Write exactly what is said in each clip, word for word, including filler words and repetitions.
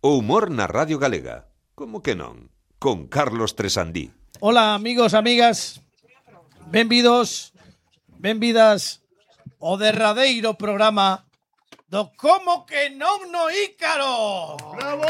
O humor na Radio Galega. Como que non? Con Carlos Tresandí. Ola, amigos, amigas. Benvidos, benvidas ao derradeiro programa do Como que non no Ícaro. ¡Bravo!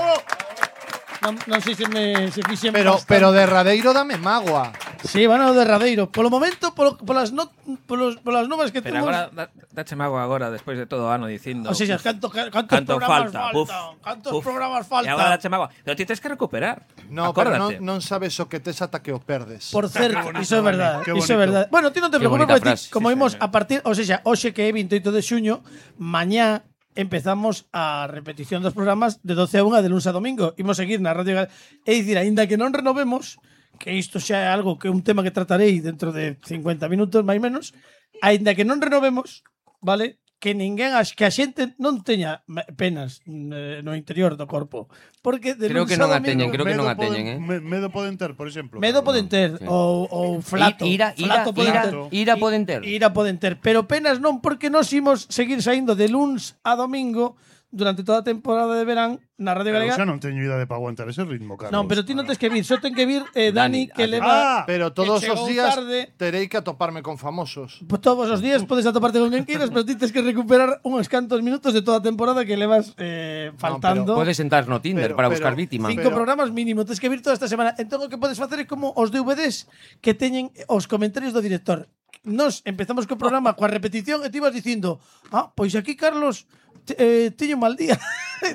Non, non sei se me se fixen Pero, bastante. pero derradeiro dame magua. Sí, van ao derradeiro. Polo momento, polo, polas, no, polos, polas novas que Pero temos... agora, da, dache mago agora, despois de todo o ano dicindo... O sea, canto, cantos canto programas falta, faltan. puf, Cantos puf. programas E faltan. agora dache mago. Pero ti tens que recuperar. No, pero non, Acórdate. non sabes o que tes ata que o perdes. Por certo, bonito, iso é Dani, verdade, qué iso é bonito. verdade. Bueno, ti non te Qué preocupes, bonita porque ti, frase, como sí, imos señor. a partir, ou seja, hoxe que é veintioito de xuño, mañá empezamos a repetición dos programas de doce a unha de luns a domingo. Imos seguir na Radio Galega. É dicir, aínda que non renovemos, que isto xa é algo que é un tema que tratarei dentro de cincuenta minutos, máis menos, aínda que non renovemos, vale? Que ninguén, as que a xente non teña penas eh, no interior do corpo. Porque de Creo luns que a non a domingo- teñen, creo que non a Medo teñen, eh. poden- me- Medo poden ter, por exemplo. Medo poden ter, sí. ou, ou flato. Ira, ira, flato poden ira, ter. ira poden ter. Ira poden ter, pero penas non, porque nos imos seguir saindo de luns a domingo durante toda a temporada de verán na Radio Pero Galega. xa non teño idade para aguantar ese ritmo, Carlos. Non, pero ti non tens que vir, só ten que vir eh, Dani, Dani, que ah, leva Ah, Pero todos que os chegou días tarde. terei que atoparme con famosos. Pues todos os días podes atoparte con quen queiras, pero ti tens que recuperar uns cantos minutos de toda a temporada que levas eh, faltando. Podes entrar no Tinder Pero- para pero- buscar vítima. Cinco Pero- programas mínimo, tens que vir toda esta semana. Entón o que podes facer é como os D V Ds que teñen os comentarios do director. Nos empezamos co programa coa repetición e ti vas dicindo, ah, pois aquí Carlos te- eh, tiño un mal día.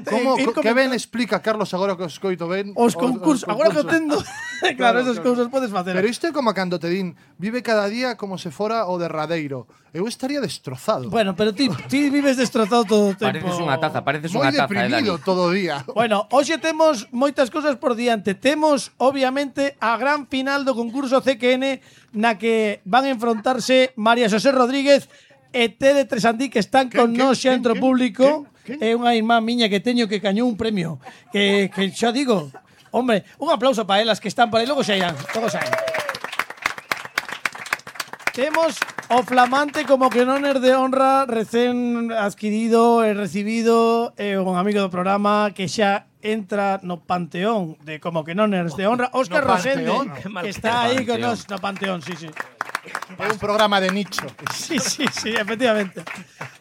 Como, Ir co- que ben comentando explica, Carlos, agora que os coito ben? os concursos. Agora que o tendo, claro, Claro, esas claro. cousas podes facer. Pero isto é como cando te din, vive cada día como se fora o derradeiro. Eu estaría destrozado. Bueno, pero ti, ti vives destrozado todo o tempo. Pareces unha taza, pareces Moi unha taza, eh, deprimido Dani. todo o día. Bueno, hoxe temos moitas cousas por diante. Temos, obviamente, a gran final do concurso C Q N na que van a enfrontarse María Xosé Rodríguez e Tere Tresandí, que están con Quen, nós xa quen, entre o quen, público. quen, É quen? unha irmá miña que teño que cañou un premio. Que, que xa digo, hombre, un aplauso para elas que están por aí. Logo xa irán, todos saen. Temos o flamante como que non er de honra recén adquirido e recibido e un amigo do programa que xa entra no panteón de como que non er de honra, Óscar No Rosende, panteón? Qué mal que que está aí panteón. con nos no panteón, sí, sí. É un programa de nicho. Sí, sí, sí, efectivamente.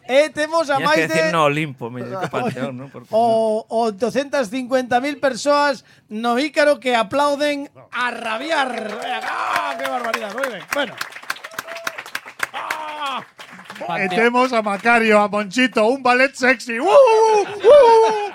E temos a Tienes máis que decir de no Olimpo, mellor que Panteón, ¿no? Porque, o, o doscientas cincuenta mil persoas no Ícaro que aplauden a rabiar. ¡Ah, qué barbaridad! Muy ben. Bueno. ¡Ah! E temos a Macario, a Monchito, un ballet sexy. ¡Uh, uh, uh!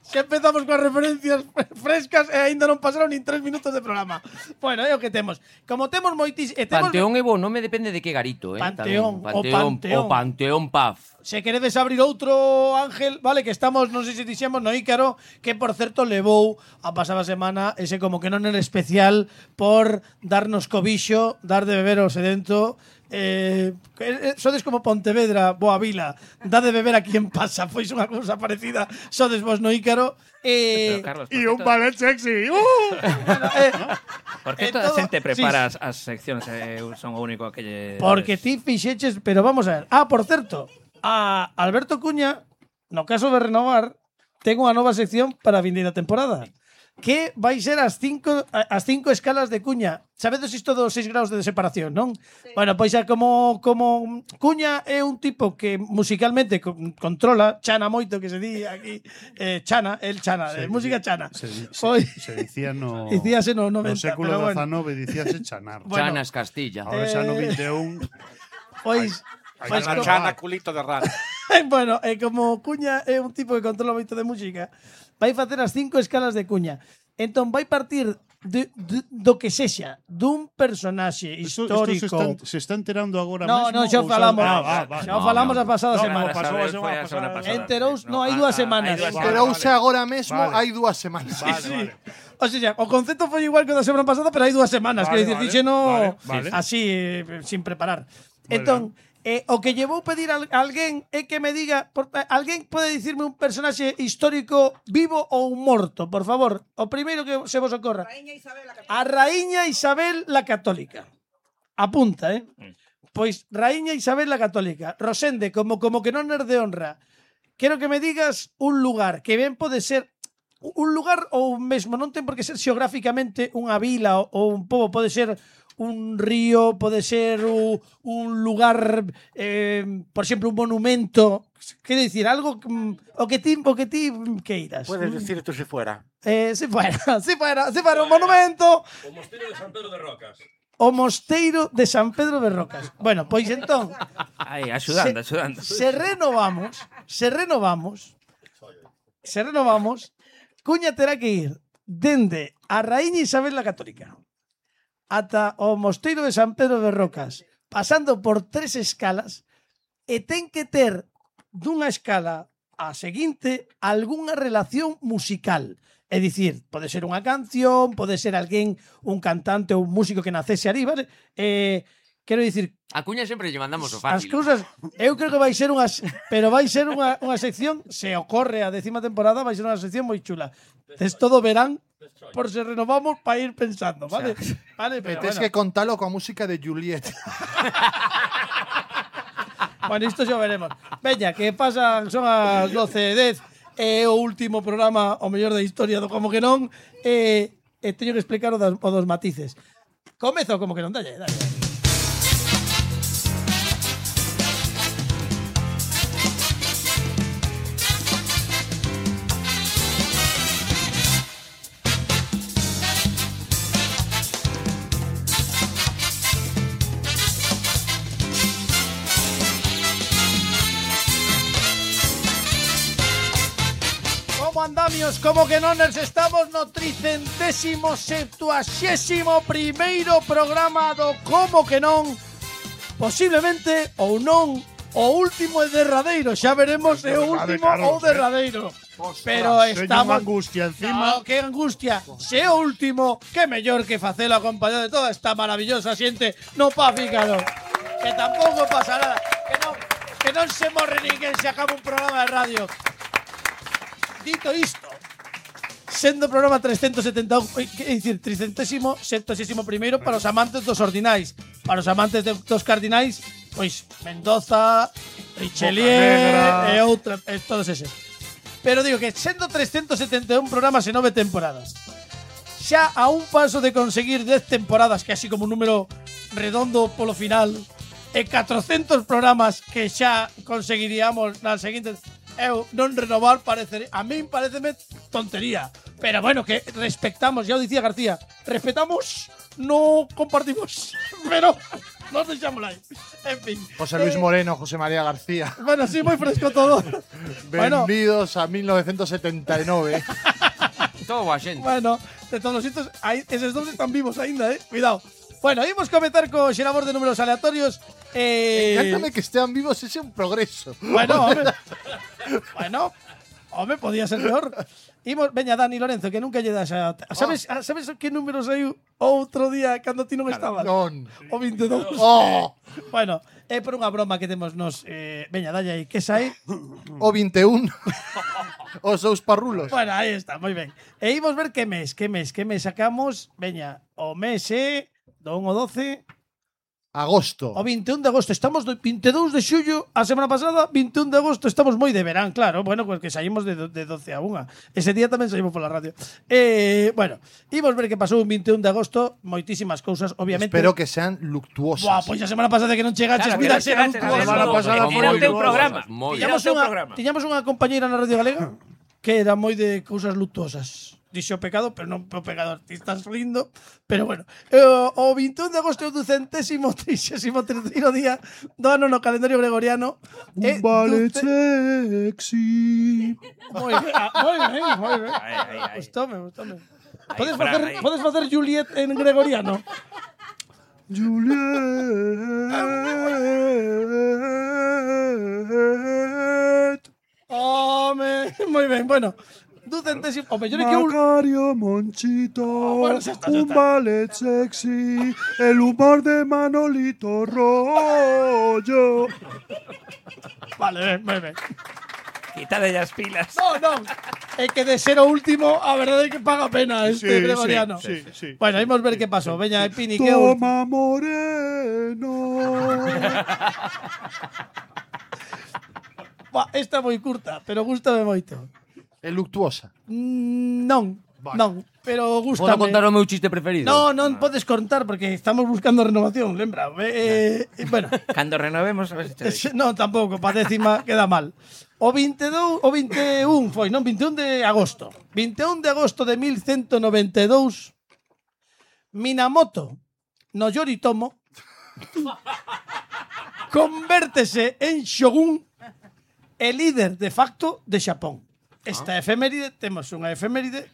Xa empezamos coas referencias frescas e aínda non pasaron nin tres minutos de programa. Bueno, é o que temos. Como temos moitis... E temos, Panteón e bo nome depende de que garito, eh. Panteón, tamén. o Panteón. O Panteón Paz. se queredes abrir outro, Ángel, vale, que estamos, non sei se dixemos, no Ícaro, que, por certo, levou a pasada semana ese como que non era especial por darnos cobixo, dar de beber ao sedento. Eh, eh, sodes como Pontevedra, Boa Vila, dá de beber a quien pasa, pois unha cousa parecida, sodes vos no Ícaro. Eh, Pero, Carlos, E por un que to- ballet sexy. ¡Uh! bueno, eh, por que eh, toda a todo- xente sí, prepara as, as seccións e eu son o único que lle... porque ti fixeches, pero vamos a ver. Ah, por certo, a Alberto Cuña, no caso de renovar, ten unha nova sección para a vindeira temporada, que vai ser as cinco as cinco escalas de Cuña. Sabedes isto dos seis graus de separación, non? Sí. Bueno, pois é como como Cuña é un tipo que musicalmente con, controla, chana moito que se di aquí, eh, chana, el chana, Se- eh, música chana. Se, se, Pois se dicía no... dicíase no No noventa, século pero bueno. dezanove dicíase chanar. Bueno. Chanas Castilla. Ahora xa no Eh, vinte e un... Pois Hai pois que como- renovar. culito de rana. bueno, e como Cuña é un tipo que controla moito de música, vai facer as cinco escalas de Cuña. Entón vai partir de, de, do que sexa, dun personaxe Isto, histórico. isto se, están, se está enterando agora No, mesmo? no, xa ou falamos. Ah, ah, vale. Xa falamos No, a pasada No, semana. pasou a Foi semana a semana pasada. pasada. Enterouse, no, hai ah, dúas ah, semanas. hai dúas Vale, Enterouse vale. agora mesmo, Vale. hai dúas semanas. Vale, Sí. vale. O sea, o concepto foi igual que o da semana pasada, pero hai dúas semanas, Vale, que dicir, vale, fixeno vale, vale. así, eh, sin preparar. Vale. Entón, eh, o que llevou pedir a alguén é que me diga, por, eh, alguén pode dicirme un personaxe histórico vivo ou morto, por favor. O primeiro que se vos ocorra. A Raíña Isabel la Católica. Apunta, eh? Pois Raíña Isabel la Católica. Rosende, como como que non er de honra. Quero que me digas un lugar que ben pode ser, un lugar ou mesmo non ten por que ser xeográficamente unha vila ou un pobo, pode ser un río, pode ser un, un lugar, eh, por exemplo, un monumento. Quero dicir, algo que, o que ti, o que ti queiras. Puedes decir tú si fuera. Eh, si fuera, si fuera, si fuera un monumento. O Mosteiro de San Pedro de Rocas. O Mosteiro de San Pedro de Rocas. Bueno, pois entón, Aí, axudando, se, axudando. se renovamos, se renovamos, se renovamos, Cuña terá que ir dende a Raíña Isabel la Católica ata o Mosteiro de San Pedro de Rocas, pasando por tres escalas, e ten que ter dunha escala a seguinte algunha relación musical. É dicir, pode ser unha canción, pode ser alguén, un cantante ou un músico que nacese ali, vale? Eh, quero dicir, A Cuña sempre lle mandamos o as fácil. cousas, eu creo que vai ser unha, pero vai ser unha, unha sección, se ocorre a décima temporada, vai ser unha sección moi chula. Tes todo verán, por se renovamos para ir pensando, vale? Vale, E pero tens bueno. que contalo coa música de Juliet. Bueno, isto xa veremos. Veña, que pasan, son as doce e dez, é o último programa, o mellor da historia do Como que non, e, e teño que explicar o, das, o dos matices. Comezo Como que non, dalle, dalle. Como andamios, como que non nos estamos no tricentésimo septuaxésimo primeiro programa do Como que non, posiblemente ou non o último e derradeiro, xa veremos se é o Verdade, último Carlos, ou eh. derradeiro. Pero Teño unha estamos angustia encima. No, que angustia. Se é o último, que mellor que facelo acompañado de toda esta maravillosa xente no Pafícaro. Que tampouco pasa nada, que non, que non se morre ninguén se acaba un programa de radio. Dito isto, sendo o programa trescentos setenta e un, que dicir, tricentésimo septuagésimo primeiro para os amantes dos ordinais, para os amantes de, dos cardinais, pois Mendoza, Richelieu e outra, e todos eses. Pero digo que sendo trescentos setenta e un programas e nove temporadas, xa a un paso de conseguir dez temporadas, que así como un número redondo polo final, e catrocentos programas que xa conseguiríamos nas seguintes, eu non renovar parece, a min pareceme tontería, pero bueno, que respectamos, ya o dicía García, respetamos, no compartimos, pero nos deixamos aí. En fin. José Luis eh, Moreno, José María García. Bueno, sí, moi fresco todo. Bueno. Benvidos a mil novecientos setenta e nove. Todo boa xente. Bueno, de todos os sitios, hai, eses dous están vivos aínda, eh? Cuidado. Bueno, imos comentar co xerador de números aleatorios. Eh, Encántame que estean vivos, ese é un progreso. Bueno, home. Bueno, home, podía ser peor. Imos, veña, Dani Lorenzo, que nunca lle das a... Sabes, oh. sabes que números hai outro día cando ti non estabas? Non. O veintidós. Oh, Bueno, é por unha broma que temos nos... Eh, veña, dalle aí, que sai? o vinte e un. Os seus parrulos. Bueno, aí está, moi ben. E imos ver que mes, que mes, que mes sacamos. Veña, o mes é do un ao doce... Agosto. O vinte e un de agosto, estamos do vinte e dous de xullo, a semana pasada, vinte e un de agosto, estamos moi de verán, claro, bueno, pues que saímos de, de doce a unha. Ese día tamén saímos pola radio. Eh, bueno, imos ver que pasou un vinte e un de agosto, moitísimas cousas, obviamente. Espero que sean luctuosas. Buah, pois a semana pasada que non chegaches, Claro, mira, que non será chegaches, luctuoso. a semana pasada Era foi o teu moi programa. Moi. Era o Tiñamos teu unha, programa. tiñamos unha compañeira na Radio Galega que era moi de cousas luctuosas. Dixo o pecado, pero non o pecador. Ti estás rindo, pero bueno. O, o vinte e un de agosto é o ducentésimo trixésimo terceiro día do ano no calendario gregoriano. Un vale sexy. Moi ben, ah, moi ben, moi ben. Ai, ai, ai. Gustame, gustame. Ahí, Podes Fran, facer, ahí. podes facer Juliet en gregoriano? Juliet. Home, moi ben, bueno. Ducentésimo, o mellor é que un... Macario Monchito, bueno, xa está, xa un está. ballet sexy, el humor de Manolito Rollo. Vale, ben, moi ben. Quítale as pilas. No, non. É que de ser o último, a verdade é que paga pena este Sí, gregoriano. sí, sí, sí. Bueno, imos ver que pasou. Veña, Pini, que é o último. Toma moreno. Buah, esta é moi curta, pero gustame moito. É luctuosa. Mm, Non, non, pero Podo gústame. contar o meu chiste preferido? No, non podes contar porque estamos buscando renovación, lembra? Eh, eh, bueno, Cando renovemos, a ver se te eh, non tampouco, pa décima queda mal. O veintidós, o veintiún foi, non, veintiún de agosto. veintiún de agosto de mil ciento noventa e dous, Minamoto no Yoritomo convértese en shogun e líder de facto de Xapón. Esta efeméride, temos unha efeméride,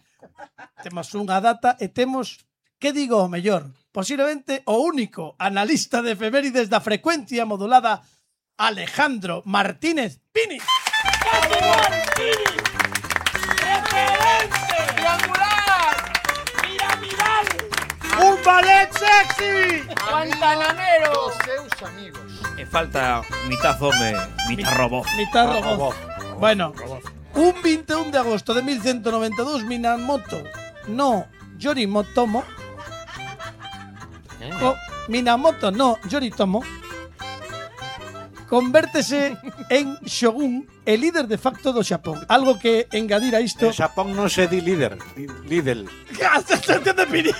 temos unha data e temos, que digo o mellor, posiblemente o único analista de efemérides da frecuencia modulada, Alejandro Martínez Pini. ¡Un ballet sexy! Dos seus amigos. E falta mitad home, mitad robot. Mitad robot. Bueno, un veintiún de agosto de mil ciento noventa e dous, Minamoto no Yoritomo Eh? co- Minamoto no Yoritomo convértese en shogun e líder de facto do Xapón. Algo que engadir a isto. En Xapón non se di líder, di líder. ¡Entiende, Pini!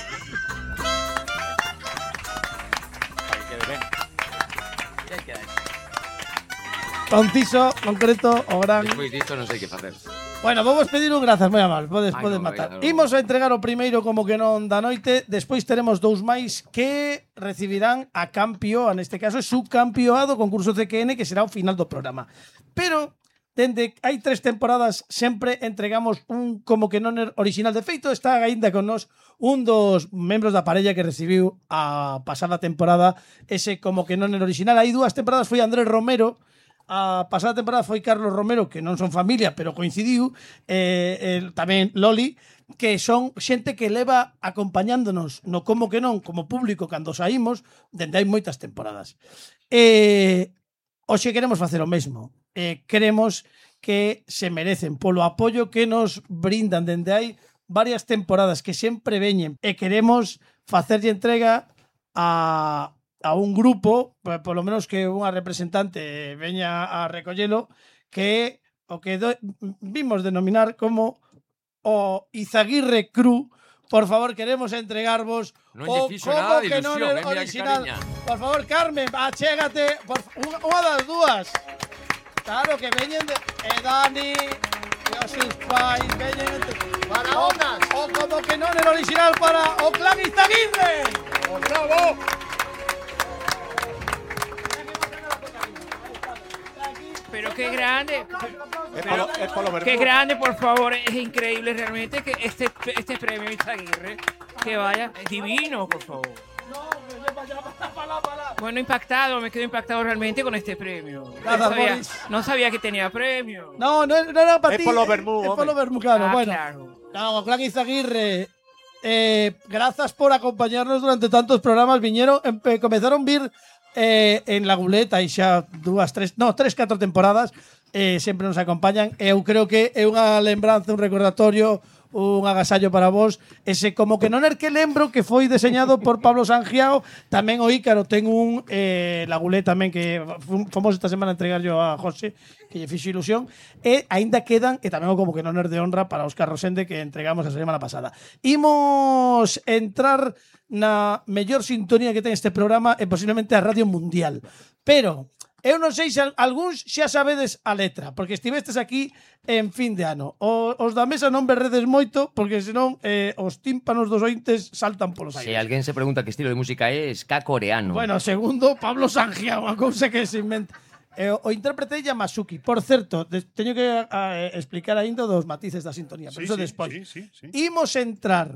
Conciso, concreto, o gran. Despois disto non sei que facer. Bueno, vamos pedir un grazas, moi amal. Podes, Ai, podes non, matar. obrigado, non. Imos a entregar o primeiro como que non da noite. Despois teremos dous máis que recibirán a campio, neste caso é subcampioado concurso C Q N, que será o final do programa. Pero dende hai tres temporadas sempre entregamos un como que non er original. De feito, está aínda con nós un dos membros da parella que recibiu a pasada temporada ese como que non er original. Hai dúas temporadas foi Andrés Romero. A pasada temporada foi Carlos Romero, que non son familia, pero coincidiu, eh, el, tamén Loli, que son xente que leva acompañándonos no como que non, como público, cando saímos, dende hai moitas temporadas. Eh, hoxe queremos facer o mesmo. Eh, queremos que se merecen polo apoio que nos brindan dende hai varias temporadas, que sempre veñen, e queremos facerlle entrega a a un grupo, polo menos que unha representante veña a recollelo, que o que do, vimos denominar como o Izaguirre Cru. Por favor, queremos entregarvos Non o lle fixo como nada de que non ilusión, é eh, mira que original. cariña. Por favor, Carmen, achégate, por, unha, unha das dúas. Claro que veñen de e Dani e os seus pais veñen de, para o, o como que non é original para o clan Izaguirre. ¡Bravo! Pero qué grande. É polo, é polo verbo. Qué grande, por favor. Es increíble realmente que este, este premio Izaguirre, que vaya divino, por favor. Bueno, impactado, me quedo impactado realmente con este premio. No Gracias, sabía, Boris. no sabía que tenía premio. No, no, no era para É ti. polo vermú, É home. polo vermú, claro. Ah, bueno, claro. no, Clan Izaguirre, eh, grazas por acompañarnos durante tantos programas. Viñeron, empe, comenzaron vir eh, en la Guleta e xa dúas, tres, no, tres, catro temporadas. Eh, sempre nos acompañan. Eu creo que é unha lembranza, un recordatorio, un agasallo para vos. Ese como que non er que lembro que foi deseñado por Pablo Sangiao. Tamén o Ícaro ten un eh, Lagulé tamén que fomos esta semana a entregar yo a José, que lle fixo ilusión. E aínda quedan, e tamén o como que non er de honra para Óscar Rosende, que entregamos a semana pasada. Imos entrar na mellor sintonía que ten este programa e posiblemente a Radio Mundial. Pero eu non sei se algúns xa sabedes a letra, porque estivestes aquí en fin de ano. O, os da mesa non berredes moito, porque senón eh, os tímpanos dos ointes saltan polos Se aires. alguén se pregunta que estilo de música é ska coreano. Bueno, segundo, Pablo Sangiao, a cousa que se inventa. Eh, o intérprete é Yamasuki. Por certo, de, teño que a, explicar ainda dos matices da sintonía, pero Sí, iso sí, despois. sí, sí, sí. Imos entrar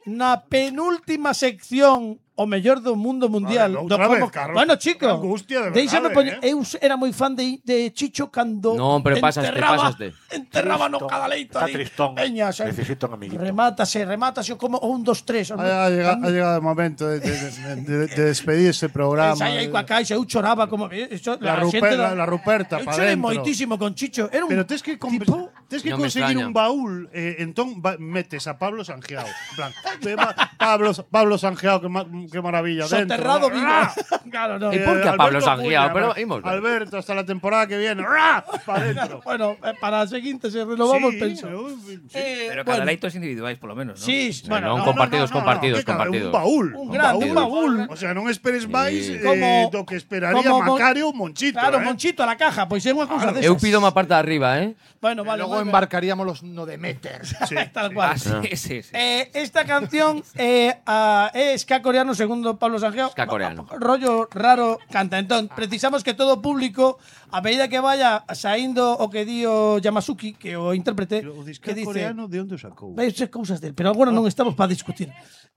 na penúltima sección o mellor do mundo mundial. Vale, do outra como... vez, Carlos. Bueno, chico, Que angustia, de verdade, déixame poñer, eh. eu era moi fan de, de Chicho cando Non, pero pasaste, enterraba, pasaste. enterraba no cada leito Está ali. tristón. Veña, xa, Necesito un amiguito. remátase, remátase como un, dos, tres. Ha, ha llegado, ha llegado el momento de, de, de, de, de despedir este programa. Esa aí coa caixa, eu choraba como eso, La, la, Ruper- xente la, la Ruperta, eu pa chorei dentro. moitísimo con Chicho. Era un Pero tens que, comp- tipo... tens que No me conseguir extraña. un baúl, eh, entón va- metes a Pablo Sangiao. En plan, eh, va- Pablo, Pablo Sangiao, que ma- qué maravilla. Soterrado dentro, vivo. ¡Ra! Claro, no. ¿Y por qué a Alberto Pablo Sangiao? Cuña, Pero va. vamos. Alberto, hasta la temporada que viene. ¡Ra! Para adentro. Bueno, eh, para la siguiente se renovamos, Sí, penso. sí. Eh, Pero bueno, cada leitos individuais, por lo menos, ¿no? Sí, bueno, non no, compartidos, No, no, no, compartidos, que cada- compartidos. Un baúl. un grande, un baúl. O sea, non esperes máis Sí. eh, Como- do que esperaría como Mon- Macario ou Monchito. Claro, eh. Monchito a la caja, pois é unha cousa desas. Eu pido unha parte de arriba, eh? Bueno, vale. Luego vale. embarcaríamos los no Demeter. Sí. Tal cual. Ah, sí, sí, sí. Eh, esta canción eh, a, é ska coreano segundo Pablo Sangiao. Ska coreano. Rollo raro canta. Entón, precisamos que todo o público, a medida que vaya saindo o que di o Yamasuki, que o intérprete, O disco que dice… coreano de onde o sacou? Veis cousas del, pero agora non estamos para discutir.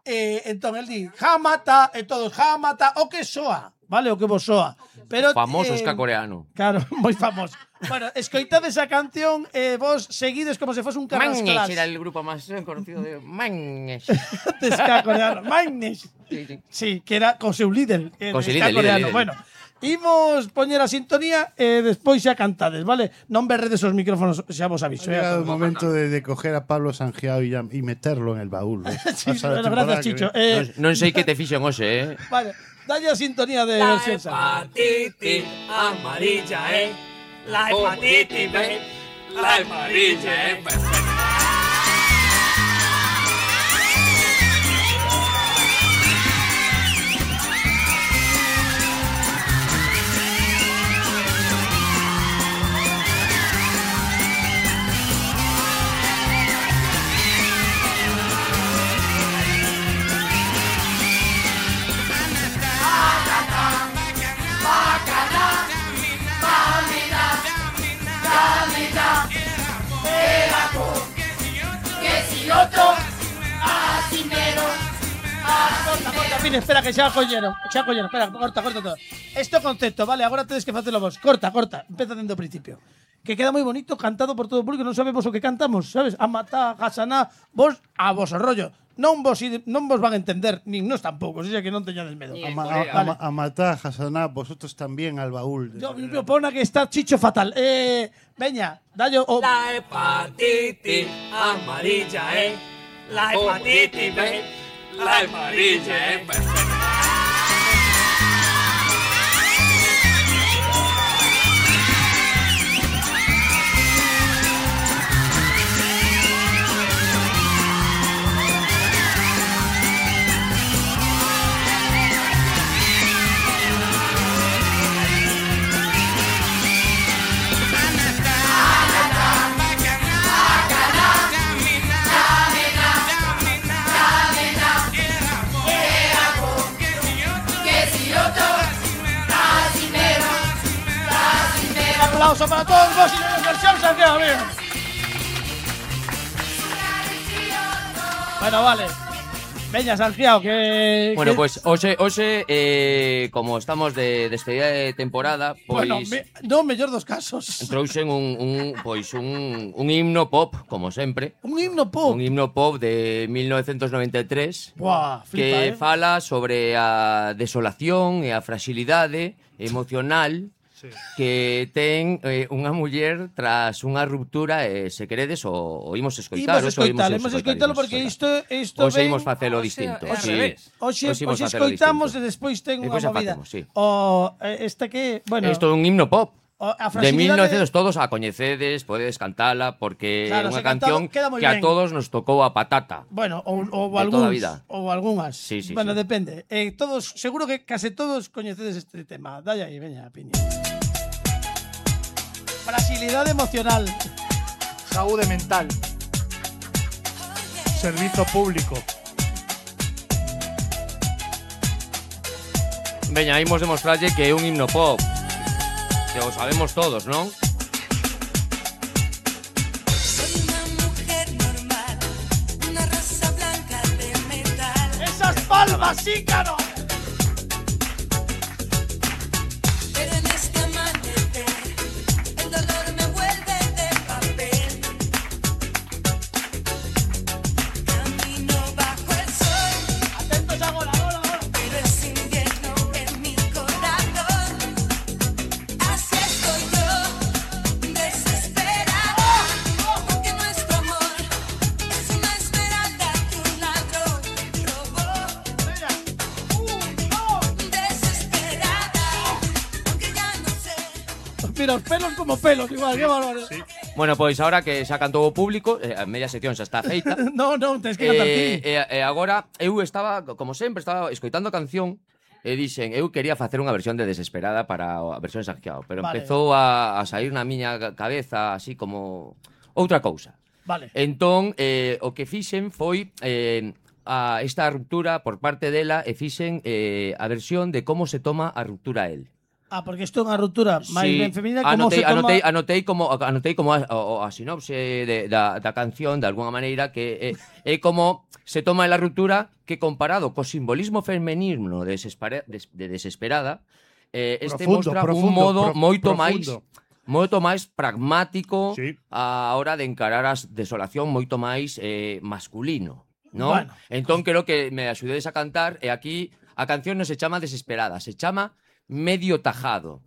Eh, entón, el di, jamata, e todos, jamata, o que soa, vale, o que vos soa. Pero, Famoso eh, ska coreano. Claro, moi famoso. Bueno, escoitades a canción e eh, vos seguides como se fose un Magnesh carrasclas. era el grupo máis conocido de Magnesh. de ska coreano. Magnesh. Sí, sí. Sí, que era co seu líder. Eh, Co de seu ska líder, coreano. líder, líder. Bueno, imos poñer a sintonía e despois xa cantades, vale? Non berredes os micrófonos, xa vos aviso. Ha eh. llegado el momento de, de coger a Pablo Sangiao y, ya- y meterlo en el baúl. ¿eh? Sí, Hasta la bueno, temporada gracias, que Chicho. viene. Eh, Non sei que te fixen hoxe, eh? vale, dalle a sintonía de versión sa. hepatitis amarilla, eh. La hepatitis B, la amarilla, eh. Corta, fin, espera que xa collero, xa collero, espera, corta, corta todo. Esto concepto, vale, agora tedes que facelo vos. Corta, corta, empeza dende o principio. Que queda moi bonito cantado por todo o público, non sabemos o que cantamos, sabes? Amata, Hasaná, vos a vos o rollo. Non vos ide- non vos van a entender, nin nós tampouco, o sea que non teñades medo. A, ma- Vale. a, a, a matar, Hasaná, vosotros también al baúl. Yo me opona que está Chicho fatal. Eh, veña, dallo o La hepatitis amarilla, eh. La hepatitis B, la amarilla, eh. un aplauso para todos vos y la versión Sangiao, bien. Bueno, vale. Veña, Sangiao, que… Bueno, que- pues hoxe, hoxe eh, como estamos de despedida de temporada, pois Bueno, me, no, mellor dos casos. trouxen un, un, pois un, un himno pop, como sempre. Un himno pop. Un himno pop de mil novecientos noventa e tres Buah, flipa, que eh. fala sobre a desolación e a fragilidade emocional que ten eh, unha muller tras unha ruptura e se queredes o, o imos escoitar. Imos hoxe o escoitalo, imos escoitalo imos porque escoitar. isto isto Hoxe ven… imos facelo Hoxe distinto. é ao sí. revés. Hoxe, Hoxe imos hoxe facelo escoitamos distinto. e despois ten E unha pois xa movida. facemos, sí. O eh, esta que, bueno, Isto é un himno pop. o- a De mil fragilidade- novecientos todos a coñecedes, podedes cantala porque é Claro, unha se cantado canción queda moi que a ben. todos nos tocou a patata. Bueno, ou, ou De toda a algúns, vida. ou algunhas. Sí, sí, bueno, sí. depende. Eh, todos, seguro que case todos coñecedes este tema. Dalle aí, veña, piña. Fragilidade emocional. Saúde mental. Servicio público. Veña, imos demostrarlle que é un himno pop. Que o sabemos todos, non? Soy una mujer normal, una rosa blanca de metal. Esas palmas, sí, caro. Pero en este amanecer, el dolor me vuelve de papel. Camino bajo el sol, Atentos agora, agora, agora. pero es invierno en mi corazón. Así estoy yo, desesperada, porque nuestro amor es una esmeralda que un ladrón robó. Mira, os pelos como pelos, igual, qué bárbaro. Sí. Bueno, pois agora que xa cantou o público, eh, a media sección xa está feita. No, no, tens que cantar E, ti. e, e agora eu estaba, como sempre, estaba escoitando a canción e dixen, eu quería facer unha versión de Desesperada para a versión Sanjeao, pero Vale. empezou a, a sair na miña cabeza así como outra cousa. Vale. Entón, eh, o que fixen foi eh, a esta ruptura por parte dela e fixen eh, a versión de como se toma a ruptura a él. Ah, porque isto é unha ruptura máis Sí, ben feminina, como anotei, se toma... anotei, anotei como anotei como a, a, a sinopse de, da, da canción de alguna maneira que é, é como se toma la ruptura que comparado co simbolismo femenino de, desespera, de, de desesperada eh, este Profundo, mostra profundo, un modo pro- moito máis profundo. moito máis pragmático Sí. a hora de encarar a desolación, moito máis eh, masculino, ¿no? Bueno. Entón creo que me axudedes a cantar e aquí a canción non se chama Desesperada, se chama Medio Tajado.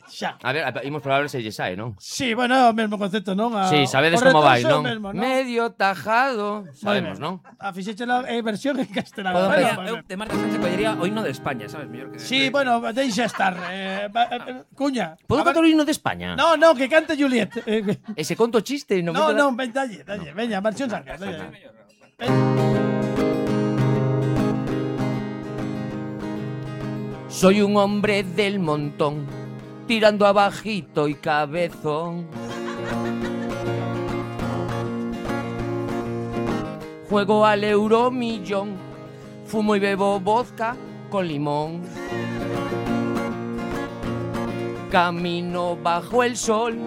Xa. A ver, imos probar se lle sae, non? Sí, bueno, é o mesmo concepto, non? A, Sí, sabedes o como vai, retraso é o non? mesmo, non? Medio tajado, sabemos, non? A fixeche la eh, versión en castelán. Podo Bueno, empezar? pues, Eu, de Marta Sánchez collería o himno de España, sabes? Mellor que... sí, bueno, deixa estar. Eh, va- eh, Cuña. Podo a ver- cantar o himno de España? No, no, que cante Juliet. Eh, que- Ese conto chiste no, no, momento no, ven, dalle, dalle. Veña, versión Sanjeao, dalle. Ven. Soy un hombre del montón, tirando abajito y cabezón. Juego al euromillón, fumo y bebo vodka con limón. Camino bajo el sol,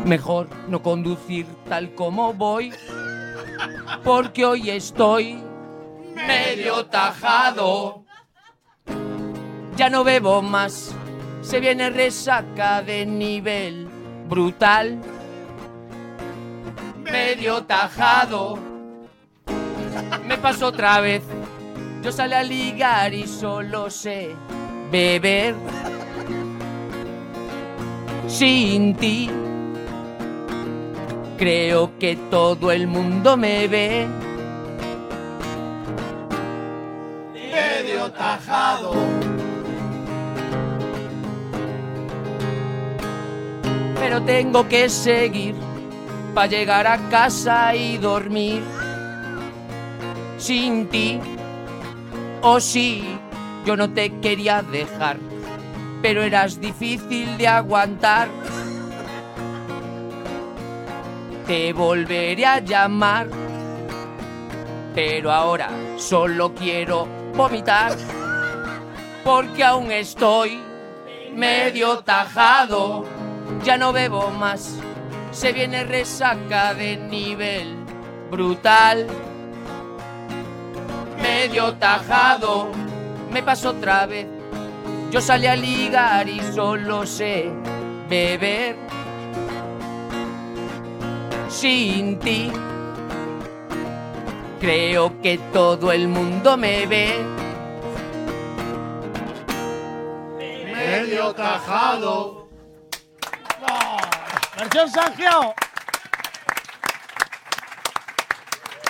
mejor no conducir tal como voy, porque hoy estoy medio tajado. Ya no bebo más, se viene resaca de nivel brutal. Medio tajado, me pasó otra vez. Yo salí a ligar y solo sé beber. Sin ti, creo que todo el mundo me ve. Medio tajado. Pero tengo que seguir para llegar a casa y dormir. Sin ti, oh sí, yo no te quería dejar, pero eras difícil de aguantar. Te volveré a llamar, pero ahora solo quiero vomitar, porque aún estoy medio tajado. Ya no bebo más, se viene resaca de nivel brutal. Medio tajado, me pasó otra vez. Yo salí a ligar y solo sé beber. Sin ti, creo que todo el mundo me ve. Medio tajado. Versión Sanjeao.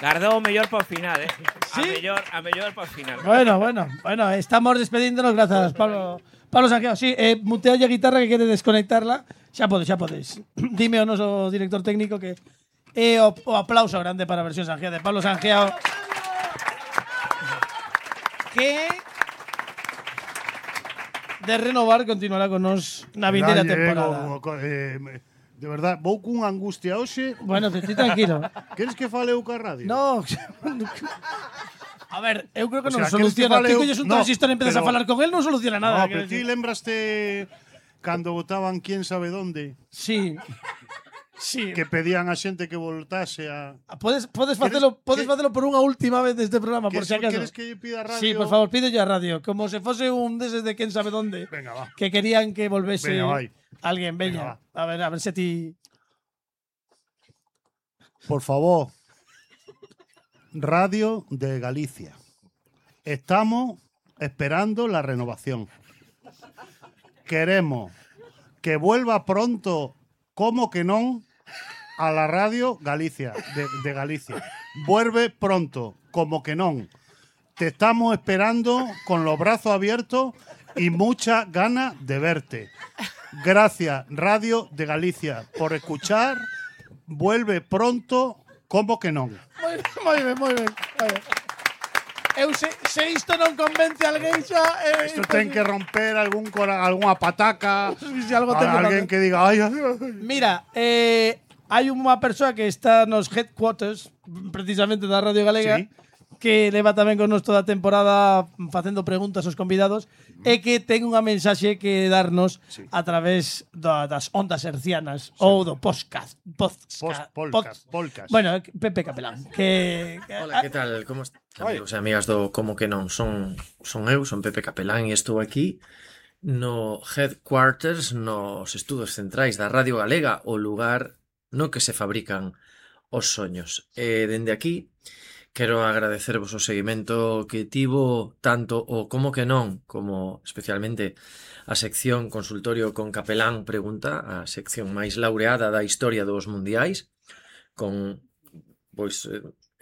Gardou o mellor por final, eh? Sí? A mellor, a mellor por final. Bueno, bueno, bueno, estamos despedíndonos, gracias, Pablo. Pablo Sanjeao, sí, eh, mutea a guitarra que quere desconectarla. Xa podes, xa podes. Dime ao noso director técnico que é o, o aplauso grande para a versión Sanjeao de Pablo Sanjeao. Que de renovar continuará con nos na vindeira Dalle, temporada. o- o- eh, de verdad, vou cunha angustia hoxe. Bueno, te estoy tranquilo. Queres que fale eu ca radio? No. A ver, eu creo que O non sea, queres que soluciona. fale Ti eu- colles un No, transistor e empezas a pero- falar con él, non soluciona nada. No, quero pero ti decir. lembraste cando votaban quién sabe dónde, Sí. Sí. que pedían a xente que voltase a... Podes, podes ¿Quieres facelo, podes que- facelo por unha última vez deste programa, por ¿Quieres, si acaso. quieres que lle pida a radio? Sí, por favor, pido a radio, como se fose un deses de quen sabe dónde, Venga, va. que querían que volvese Venga, vai. alguén, Venga, veña. A ver, a ver se ti... Por favor. Radio de Galicia. Estamos esperando la renovación. Queremos que vuelva pronto, como que non, a la radio Galicia, de, de Galicia. Vuelve pronto, como que non. Te estamos esperando con los brazos abiertos y mucha gana de verte. Gracias, Radio de Galicia, por escuchar. Vuelve pronto, como que non. Moi ben, moi ben, moi ben. Moi ben. Eu se, se isto non convence a alguén xa... Eh, Isto ten que romper algún cora, algunha pataca, Si algo ten que alguén romper. que diga, ay, ay, ay. Mira, eh, hai unha persoa que está nos headquarters, precisamente da Radio Galega, Sí. que leva tamén con nos toda a temporada facendo preguntas aos convidados e que ten unha mensaxe que darnos Sí. a través da, das ondas hercianas ou do podcast. podcast Post, polcas, polcas. Bueno, Pepe Capelán, que, que Hola, que tal? Como est- amigos e amigas do Como que non? Son, son eu, son Pepe Capelán e estou aquí no headquarters, nos estudos centrais da Radio Galega, o lugar no que se fabrican os soños. E dende aquí quero agradecervos o seguimento que tivo tanto o Como que non como especialmente a sección Consultorio con Capelán Pregunta, a sección máis laureada da historia dos mundiais, con pois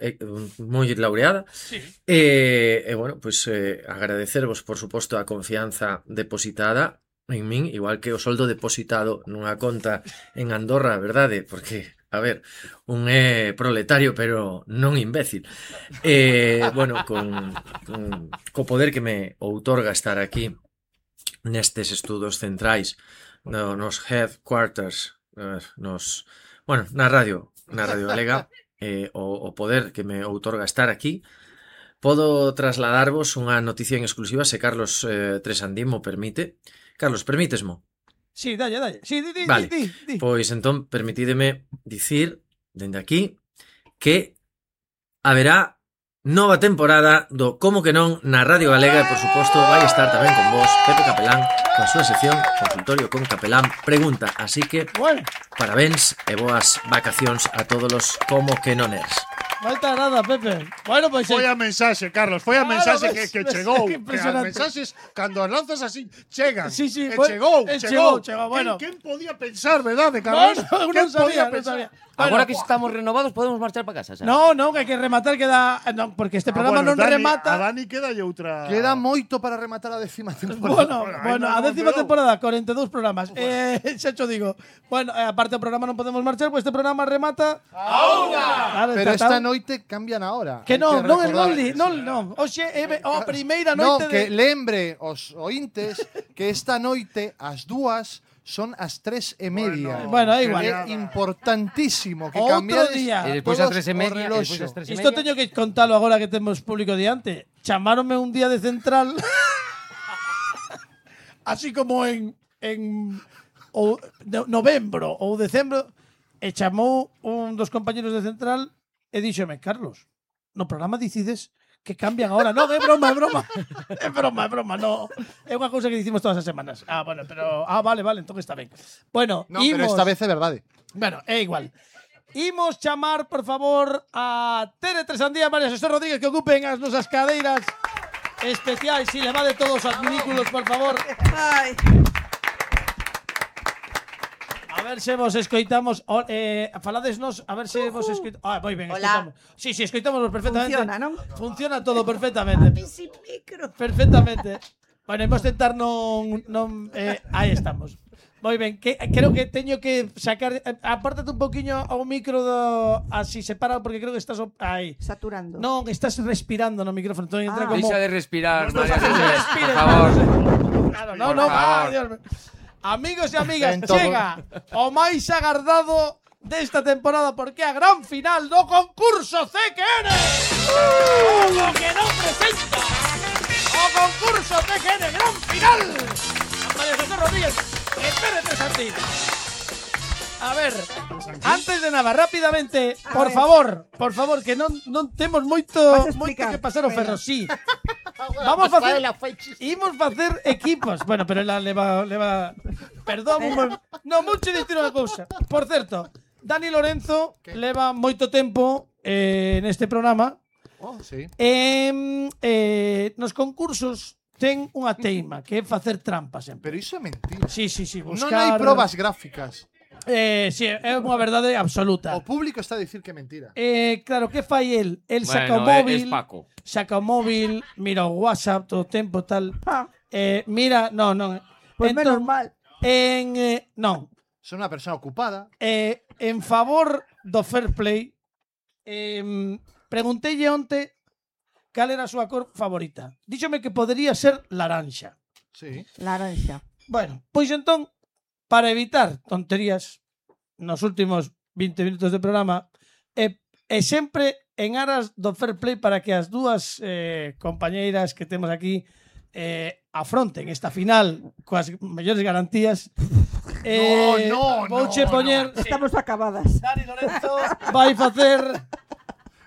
eh, moi laureada. Sí. E, e bueno, pois eh, agradecervos por suposto a confianza depositada en min, igual que o soldo depositado nunha conta en Andorra, verdade? Porque, a ver, un é proletario, pero non imbécil. E, bueno, con, con co poder que me outorga estar aquí nestes estudos centrais, no, nos headquarters, eh, nos, bueno, na radio, na Radio Galega, eh, o, o poder que me outorga estar aquí, podo trasladarvos unha noticia en exclusiva se Carlos eh, Tresandín mo permite. Carlos, permítesmo? Sí, dalle, dalle. Sí, di, di, Vale, di, di. pois entón permitídeme dicir dende aquí que haberá nova temporada do Como que non na Radio Galega e por suposto vai estar tamén con vos Pepe Capelán con a súa sección Consultorio con Capelán Pregunta, así que Bueno, parabéns e boas vacacións a todos os Como que noners. falta nada, Pepe. Bueno, pois... Foi eh, a mensaxe, Carlos, foi a Claro, mensaxe ves, que, que ves, chegou. que Que as impresionante. mensaxes, cando as lanzas así, chegan. Sí, sí, e foi- chegou, eh, chegou, chegou, chegou, bueno. Quen, quen podía pensar, verdade, Carlos? No, no, Quen non sabía, podía non pensar? sabía. Agora Bueno, que estamos renovados podemos marchar para casa, xa. No, no, que hai que rematar queda... No, porque este Ah, programa bueno, non Dani, remata... A Dani queda outra... Queda moito para rematar a décima temporada. Bueno, Bueno, bueno, ainda a non décima quedou. temporada, cuarenta e dous programas. Eh, xa cho digo. Bueno, eh, aparte do programa non podemos marchar, pois este programa remata... Ahora! Pero esta noite cambian a hora. Que Hai non, non, recordar. non, li, non, non. Oxe, é ve- oh, a primeira Non, noite que de... lembre os ointes que esta noite as dúas son as tres e media. Bueno, é igual. É importantísimo que Outro cambiades día. E despois a todos tres e o media, e reloxo. despois as tres e Isto media. teño que contalo agora que temos público diante. Chamáronme un día de central así como en en ou, no, novembro ou decembro e chamou un dos compañeros de central e díxome, Carlos, no programa dicides que cambian ahora. Non, é broma, é broma. É broma, é broma, no. É unha cousa que dicimos todas as semanas. Ah, bueno, pero ah, vale, vale, entón está ben. Bueno, No, pero imos- esta vez é verdade. Bueno, é igual. Imos chamar, por favor, a Tere Tresandía e María Xosé Rodríguez que ocupen as nosas cadeiras especiais. Si, levade todos os adminículos, por favor. Ai, A ver se vos escoitamos. O, eh, faladesnos, a ver se vos escoitamos. Ah, moi ben, Hola. escoitamos. Sí, sí, escoitamos perfectamente. funciona, non? Funciona todo perfectamente. Sin micro. Perfectamente. Bueno, imos tentar non... non eh, aí estamos. Moi ben, que, creo que teño que sacar... eh, Apártate un poquinho ao micro do... Así separado, porque creo que estás... o- Aí. Saturando. Non, estás respirando no micrófono. Entón entra Ah. como... Deixa de respirar, No, María no, no, José, respires, por favor. Claro, no, Por no, favor. va, Dios mío. Amigos e amigas, En todo- chega o máis agardado desta temporada porque é a gran final do concurso C Q N. Como que non presenta o concurso C Q N gran final. A María José Rodríguez e Pérez de Santín. A ver, antes de nada, rápidamente, A por ver. favor, por favor, que non non temos moito Vas a moito explicar. que pasar o Venga. ferro, sí. Vamos a facer Imos facer equipos. Bueno, pero ela leva leva perdón, un mo- no mucho dicir unha cousa. Por certo, Dani Lorenzo leva moito tempo eh, neste programa. Oh, sí. Em, eh, nos concursos ten unha teima que é facer trampas sempre. Pero iso é mentira. Sí, sí, sí, Non buscar hai probas gráficas. Eh, sí, é unha verdade absoluta. O público está a dicir que é mentira. Eh, claro, que fai el? El saca o Bueno, é- móvil, es Paco. saca o móvil, mira o WhatsApp todo o tempo tal. Eh, mira, non, non. Pois menos Entón, mal. En, eh, non. Son unha persona ocupada. Eh, en favor do fair play, eh, pregunteille onte cal era a súa cor favorita. Díxome que podería ser laranxa. Sí. Laranxa. Bueno, pois entón, para evitar tonterías nos últimos vinte minutos de programa, e, e sempre en aras do fair play para que as dúas eh, compañeiras que temos aquí eh, afronten esta final coas mellores garantías. Eh, no, no, vouche no, poñer no. Estamos acabadas. Dani Lorenzo vai facer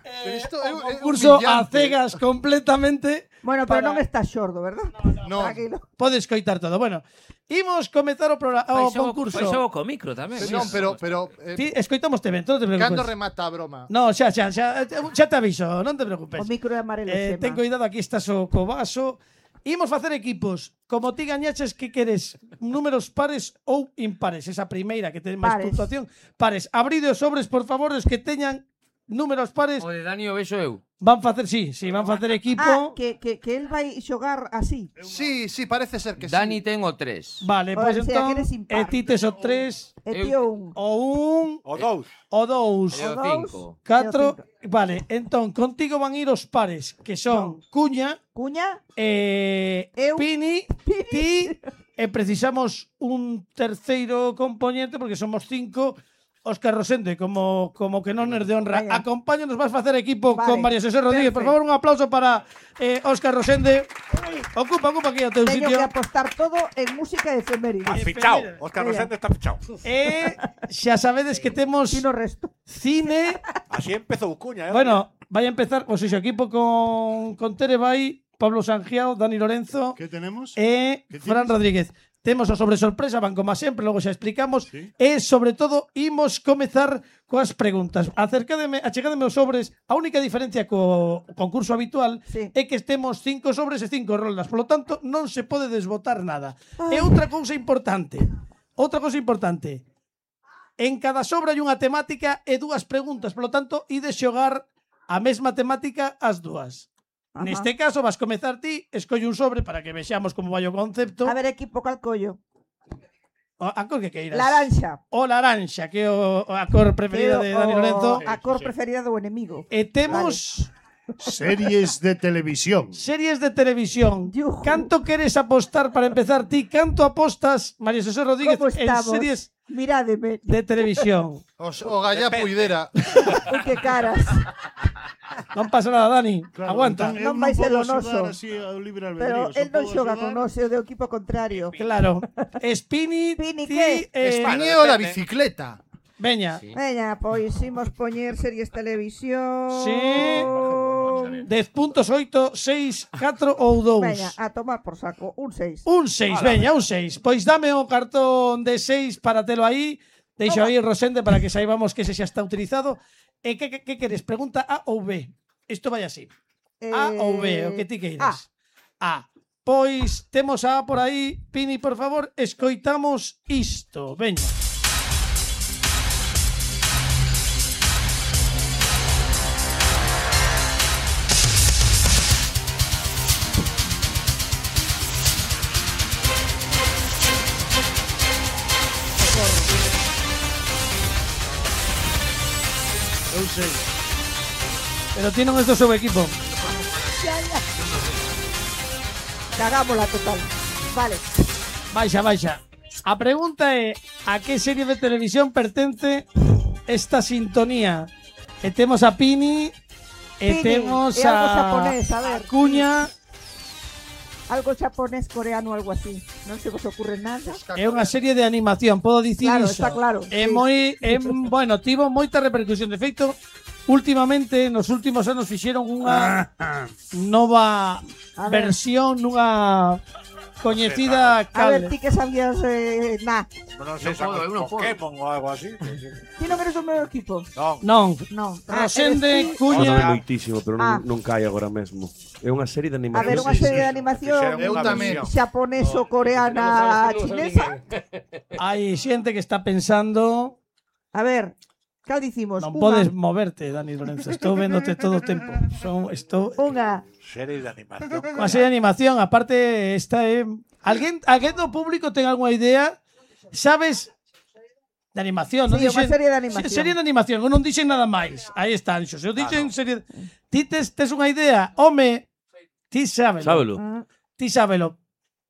Pero eh, isto o é- é concurso a humillante. cegas completamente. Bueno, pero para- non estás xordo, verdad? No. Tranquilo. Podes coitar todo. Bueno, imos comezar o, programa, o Pois o- concurso. pois o co micro tamén. Non, pero, pero eh, Ti, escoitamos te ben, non te preocupes. cando remata a broma? No, xa, xa, xa, xa te aviso, non te preocupes. O micro é amarelo, Eh, Xema. ten cuidado, aquí estás o co vaso. Imos facer equipos. Como ti gañaches, que queres? Números pares ou impares? Esa primeira que ten máis Pares. puntuación. Pares. Abrido os sobres, por favor, os que teñan números pares. O de Dani o vexo eu. Van facer, sí, sí, van facer equipo. Ah, que, que, que él vai xogar así. Sí, sí, parece ser que Dani sí. ten o tres. Vale, O pois sea, que entón, eres impar. e ti tes o tres, E Eu- tío un. o un, O dous. o dous, E o O dous. cinco. catro. cinco. Vale, entón, contigo van ir os pares, que son Cuña, Cuña, eh, Eu. Pini, Pini. ti, e precisamos un terceiro componente, porque somos cinco. Óscar Rosende, como, como que non es de honra. Vaya. Acompáñanos, vas facer equipo Vale. con María José Rodríguez. Por Perfecto. favor, un aplauso para eh, Óscar Rosende. Ocupa, ocupa aquí o teu teño sitio. que apostar todo en música de efemérides. Eh, Fichao. Efeméride. Óscar Mira. Rosende está fichao. E xa sabedes que temos Tino resto. cine. Así empezou Cuña, eh? Bueno, vai a empezar o seu equipo con, con Tere Bay, Pablo Sangiao, Dani Lorenzo ¿Qué tenemos? e ¿Qué Fran tienes? Rodríguez. Temos o sobre sorpresa, van como sempre, logo xa explicamos. Sí. E, sobre todo, imos comezar coas preguntas. Acercademe, achegádeme os sobres. A única diferencia co concurso habitual Sí. é que estemos cinco sobres e cinco roldas. Por lo tanto, non se pode desbotar nada. E Ai. outra cousa importante. Outra cousa importante. En cada sobre hai unha temática e dúas preguntas. Por lo tanto, ides xogar a mesma temática as dúas. Ajá. Neste caso, vas comezar ti, escolle un sobre para que vexamos como vai o concepto. A ver, equipo, cal collo? O- A cor que queiras. Laranxa. O laranxa, que é o, a cor preferida de Dani Lorenzo. A cor preferida do enemigo. E temos Series de televisión. series de televisión. Yujú. Canto queres apostar para empezar ti? Canto apostas, María José Rodríguez, Como en estamos? series Mirádeme. de televisión? Os, o Gallá Puidera. Ui, que caras. Non pasa nada, Dani. Claro, Aguanta. entón eu Non vai ser podo o noso. axudar así ao libre Pero albedrío, él só non podo xoga axudar- con nós, é o do equipo contrario. Claro. Spini, Spini, ti, que? eh, Espiñeo da depende. bicicleta. veña. Veña, pois imos poñer series televisión. Sí. dez puntos, oito, seis, catro ou dous. Veña, a tomar por saco. Un seis. Un seis, veña, un seis. Pois dame o cartón de seis para telo aí. Deixo aí Rosende para que saibamos que ese xa está utilizado. E que, que, que queres? Pregunta A ou B? Isto vai así. A ou B, o que ti queiras. A. Pois temos a A por aí. Pini, por favor, escoitamos isto. Veña. Eu sei. Pero ti non és do seu equipo. Ya, ya. Cagámola total. Vale. Baixa, baixa. A pregunta é a que serie de televisión pertence esta sintonía? E temos a Pini, e Pini, temos e algo a, xaponés, a ver. a Cuña, Algo japonés, coreano, algo así. Non se vos ocurre nada. é unha serie de animación, podo dicir Claro, iso. está claro, É sí. moi, é, bueno, tivo moita repercusión. De feito, últimamente, nos últimos anos fixeron unha nova A ver. versión nunha coñecida A ver, cal. ti que sabías eh, na. Non sei, Non podo, eu non podo. Pokémon ou algo así. Ti non eres do meu equipo? Non. Non. Non. Ah, Rosende, eres ti. Cuña. Góstame moitísimo, pero non, Ah. non cae agora mesmo. É unha serie de A animación. ver, unha Sí, serie sí, de sí. animación Eu tamén. xaponeso, coreana, chinesa. Hai xente que está pensando. A ver, Cal dicimos? Non Unha. podes moverte, Dani Lorenzo. Estou véndote todo o tempo. Son, estou... Unha. Series de animación. Unha serie de animación. Aparte, esta é... Alguén, alguén do público ten algunha idea? Sabes... De animación, non Sí, unha dixen... serie de animación. Se- Serie de animación, eu non dixen nada máis. Aí está, Anxo. Se eu dixen serie... Ti tes, tes unha idea? Home, ti sábelo. Sábelo. Ah. Ti sábelo.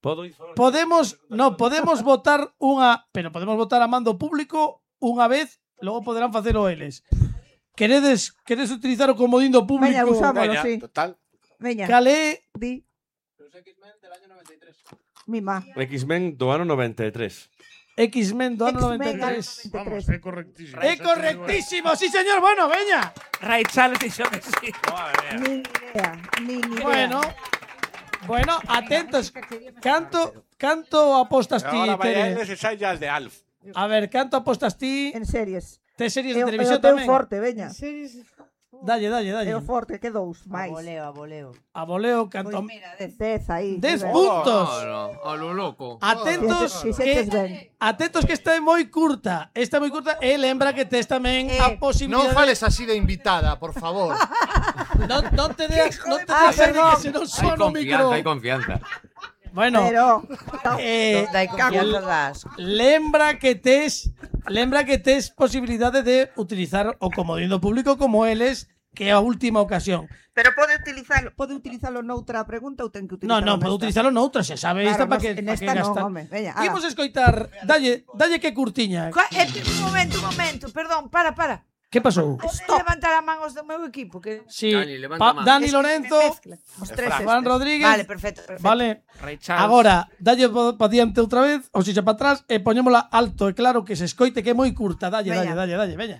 Podo ir falar? Podemos, no, podemos votar unha, pero podemos votar a mando público unha vez, logo poderán facelo eles. Queredes, queredes utilizar o comodín do público? Veña, usámolo, Veña, sí. total. Veña. Cal é? Di. Mima. X-Men do ano noventa e tres. X-Men do ano noventa e X-Men tres. Vamos, é correctísimo. É correctísimo, sí señor, bueno, veña. Ray Charles dixo que sí. Ni idea. Ni idea. Bueno, bueno, atentos. Canto, canto apostas ti, Ahora vaya Tere? eles e sai ya de Alf. A ver, canto apostas ti? En series. Tes series É de o- é televisión o teu tamén? forte, veña. Dalle, dalle, É dalle. o forte, que dous máis. Aboleo, aboleo. A voleo, canto... Pois mira, dez. Dez aí. Dez que ben. puntos. A lo loco. Atentos, Si xeches que, ben. atentos que esta é moi curta. Esta é moi curta e lembra que tes tamén Eh, a posibilidade... Non fales así de invitada, por favor. Non, non te deas, non te Ah, deas aire perdón. que se non Hay soa no micro. confianza, hay confianza. Bueno, Pero... eh, Donde hai confianza das. lembra que tes lembra que tes posibilidade de utilizar o comodín do público como eles, que é a última ocasión. Pero pode utilizarlo, pode utilizalo noutra pregunta ou ten que Non, utilizalo non, pode nesta? utilizarlo noutra, xa sabe, esta Claro, para que, en pa esta que non, gastar. home. Veña, ala. Imos escoitar, dalle, dalle que curtiña. Coa- eh, un momento, un momento, perdón, para, para. Que pasou? Stop. Levantar a man os do meu equipo, que Sí, Dani, levanta pa- a man. Dani Es que Lorenzo, me mezcla. Os tres Juan estes. Rodríguez. Vale, perfecto, perfecto. Vale. Ray Charles. Agora, dalle pa diante outra vez, ou seja, para atrás, e poñémola alto e claro que se escoite que é moi curta. Dalle, dalle, Veña. dalle, dalle, veña.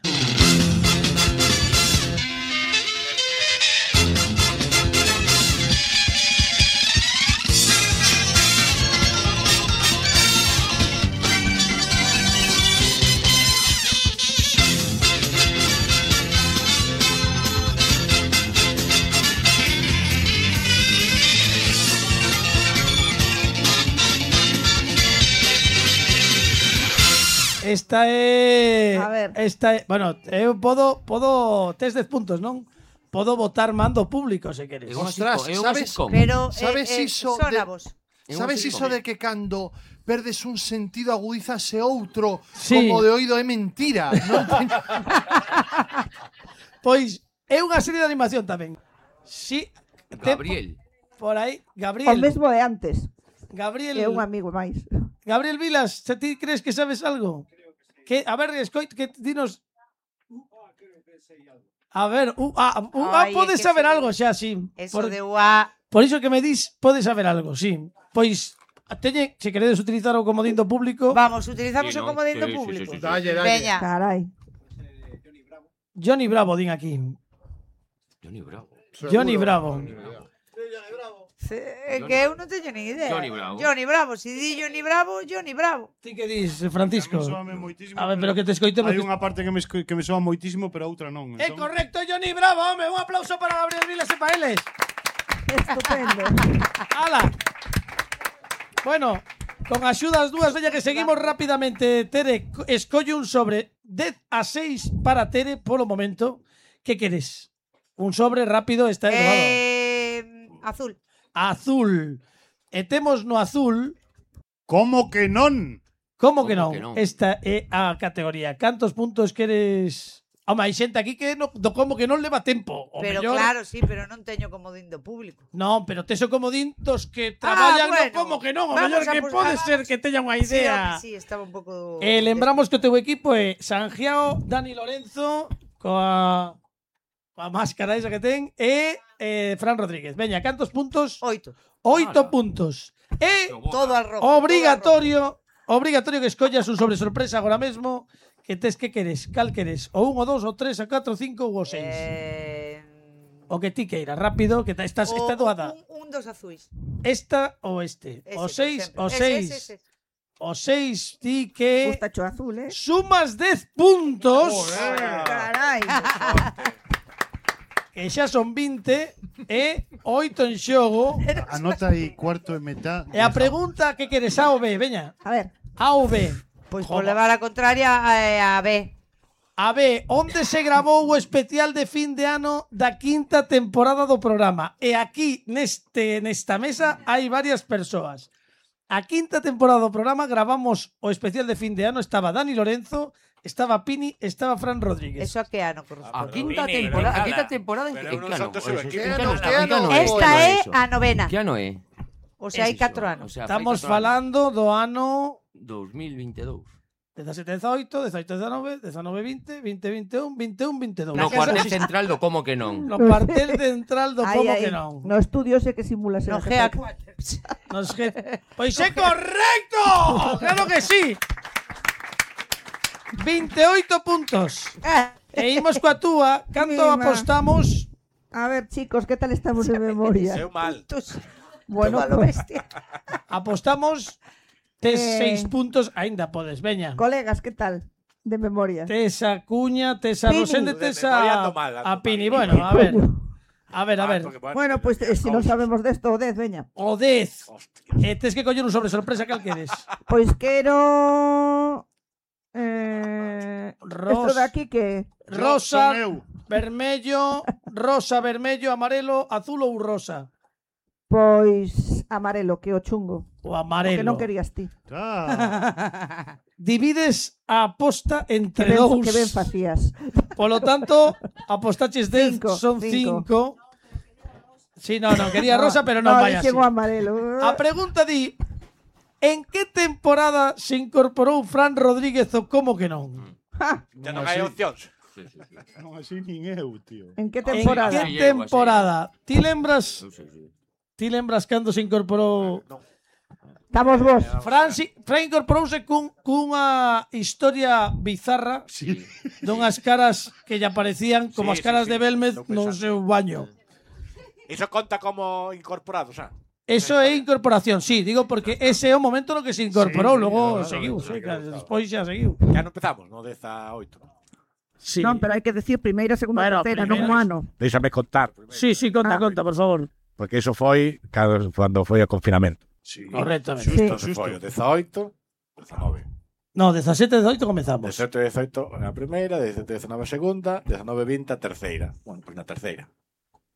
Esta é A ver. Esta é, bueno, eu podo podo tes dez puntos, non? Podo votar mando público se queres. É un Ostras, sitcom, é un sabes- sitcom. Pero ¿Sabes eh, eh, iso son de- a vos. É un Sabes sitcom. iso de que cando perdes un sentido agudízase outro Sí. como de oído é mentira? Non ten... Pois é unha serie de animación tamén. Si te- Gabriel. por aí, O Gabriel. mesmo de antes. Gabriel. É un amigo máis. Gabriel Vilas, se ti crees que sabes algo? Que a ver, escoit que dinos. A ver, uh, ah, uh, ah, Ai, é podes que saber sí. algo xa, sí. Eso Por, de ua. por iso que me dis, podes saber algo, sí. Pois teñe, se queredes utilizar o comodín do público, Vamos, utilizamos Sí, o ¿no? comodín do Sí, sí, público. sí, sí, sí. Dalle, dalle. Veña. Carai. Johnny Bravo din aquí. Johnny Bravo. Johnny Bravo. Se- É que eu non teño nin idea. Johnny Bravo. Johnny Bravo. Si di Johnny Bravo, Johnny Bravo. Ti que dis, Francisco? Me soame moitísimo, A ver, pero que te escoitemos. Hai que- unha parte que me, esco- que me soa moitísimo, pero a outra non. É Entón, correcto, Johnny Bravo, home, un aplauso para Gabriel Vilas e para eles. Estupendo. ¡Hala! Bueno, con axudas dúas, veña que seguimos rapidamente. Tere, co- escolle un sobre dez a seis para Tere polo momento. Que queres? Un sobre rápido, está errado. Eh, azul. Azul. E temos no azul. Como que non? Como que Como non? que non? Esta é a categoría. Cantos puntos queres? Home, hai xente aquí que no, do como que non leva tempo. O Pero mellor, claro, sí, pero non teño comodín do público. Non, pero tes o comodín dos que traballan no Ah, bueno. como que non. O Vamos mellor a que pos- pode vamos. ser que teña unha Sí, idea. home, sí, estaba un pouco... Eh, lembramos que o teu equipo é Sangiao, Dani Lorenzo, coa, coa máscara esa que ten, e eh, Fran Rodríguez. Veña, cantos puntos? Oito. Oito puntos. E Todo al rojo. obrigatorio, obrigatorio que escollas un sobre sorpresa agora mesmo, que tes que queres, cal queres, o un, o dos, o tres, o catro, o cinco ou o seis. Eh, O que ti queiras, rápido, que ta- estás, o- está doada. Un, un dos azuis. Esta ou este. Ese, o por seis, exemplo. o Ese, seis. ese, ese. O seis, ti que Gustacho azul, eh? sumas dez puntos. Carai. Que xa son vinte e oito en xogo. Anota aí cuarto e metá. E a pregunta que queres, A ou B, veña. A ver. A ou B. Pois Joder. por levar a contraria a, a B. A ver, onde se grabou o especial de fin de ano da quinta temporada do programa? E aquí, neste nesta mesa, hai varias persoas. A quinta temporada do programa gravamos o especial de fin de ano. Estaba Dani Lorenzo, estaba Pini, estaba Fran Rodríguez. Eso a que ano corresponde? A quinta temporada, a quinta temporada en que ano? En que ano? Esta é a novena. Que ano é? O sea, hai catro anos. Estamos falando do ano dos mil veintidous. dezasete dezaoito, dezaoito dezanove, dezanove vinte, vinte veintiún, veintiún veintidous. No cuartel central do como que non. No cuartel central do Ai, como ai, que non. No estudio sei que simula ser No G G A A cuatro. Nos que... Pois é correcto! Claro que sí. veintioito puntos. E imos coa túa. Canto Mima. apostamos? A ver, chicos, ¿qué tal estamos de memoria? Seu mal. Bueno, Toma lo pues, bestia. Apostamos tes Eh. seis puntos, aínda podes, veña. colegas, ¿qué tal de memoria? Tes a Cuña, tes a Pini. Rosende, tes De memoria a, ando mal, ando a Pini. mal. Bueno, a ver. A ver, a ver. Bueno, pues eh, si no sabemos de esto, o dez, veña. O dez. Eh, tes que coller un sobre sorpresa, cal queres? Pois quero... Eh, Ros- esto de aquí que... Rosa, Son eu. vermello, rosa, vermello, amarelo, azul ou rosa? Pois amarelo, que o chungo. O O que amarelo. non querías ti. Ah, Divides a aposta Que entre ben, dous. que ben facías. Polo tanto, apostaches dez, Cinco, son cinco. cinco. Sí, no, no, quería rosa, pero non no, vai así. dixen o amarelo. A pregunta di, en que temporada se incorporou Fran Rodríguez o como que non? Ja, Ya non hai opcións. non así nin eu, tío. en que En temporada? que temporada? Ti lembras? Ti lembras cando se incorporou? Estamos vos. Fran, si, Fran incorporouse cun, cunha historia bizarra Sí. dunhas caras que lle aparecían como as Sí, caras sí, de sí. Belmez Non no pensaba. seu baño. Iso conta como incorporado, xa. Eso é incorporación, sí, digo porque ese é o momento no que se incorporou, Sí, logo claro, seguiu, claro, sí, claro, claro, claro. despois xa seguiu. Ya non empezamos, no dezaoito. Sí. Non, pero hai que decir primeira, segunda, Bueno, terceira, primeira- non o ano. Déixame contar, Sí, sí, conta, Ah. conta, por favor. porque iso foi cando, cando foi o confinamento. Sí. Correctamente. Xusto, Sí. xusto. Foi o dezaoito, dezanove. No, dezasete, dezaoito comezamos. dezaoito e dezaoito a primeira, dezaoito e dezanove a segunda, dezanove e vinte a terceira. Bueno, pois na terceira.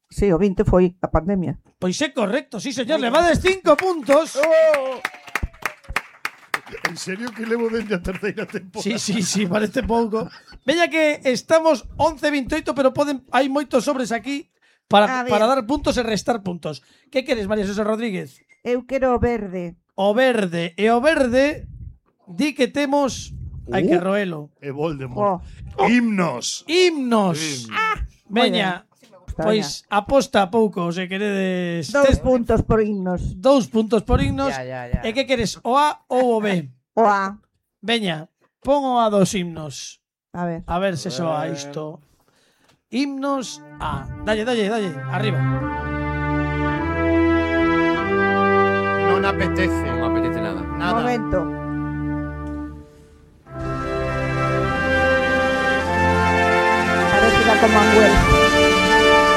Sí, o vinte foi a pandemia. Pois é correcto, sí, señor, levades cinco puntos. En serio que levo dende a terceira temporada? Sí, sí, sí, parece pouco. Veña que estamos once veintioito, pero poden hai moitos sobres aquí para, A ver. para dar puntos e restar puntos. Que queres, María José Rodríguez? Eu quero o verde. O verde. E o verde di que temos... Hai que Uh. roelo. E Voldemort. Oh, Himnos. Himnos. Veña, está pois aposta pouco, se queredes. Dous Tes- puntos por himnos. Dous puntos por himnos. Ya, ya, ya. E que queres, o A ou o B? O A. Veña, pon o A dos himnos. A ver. A ver se soa isto. Himnos A. Dalle, dalle, dalle. Arriba. Non apetece. Non me apetece nada. Nada. Momento. Parece la Commonwealth.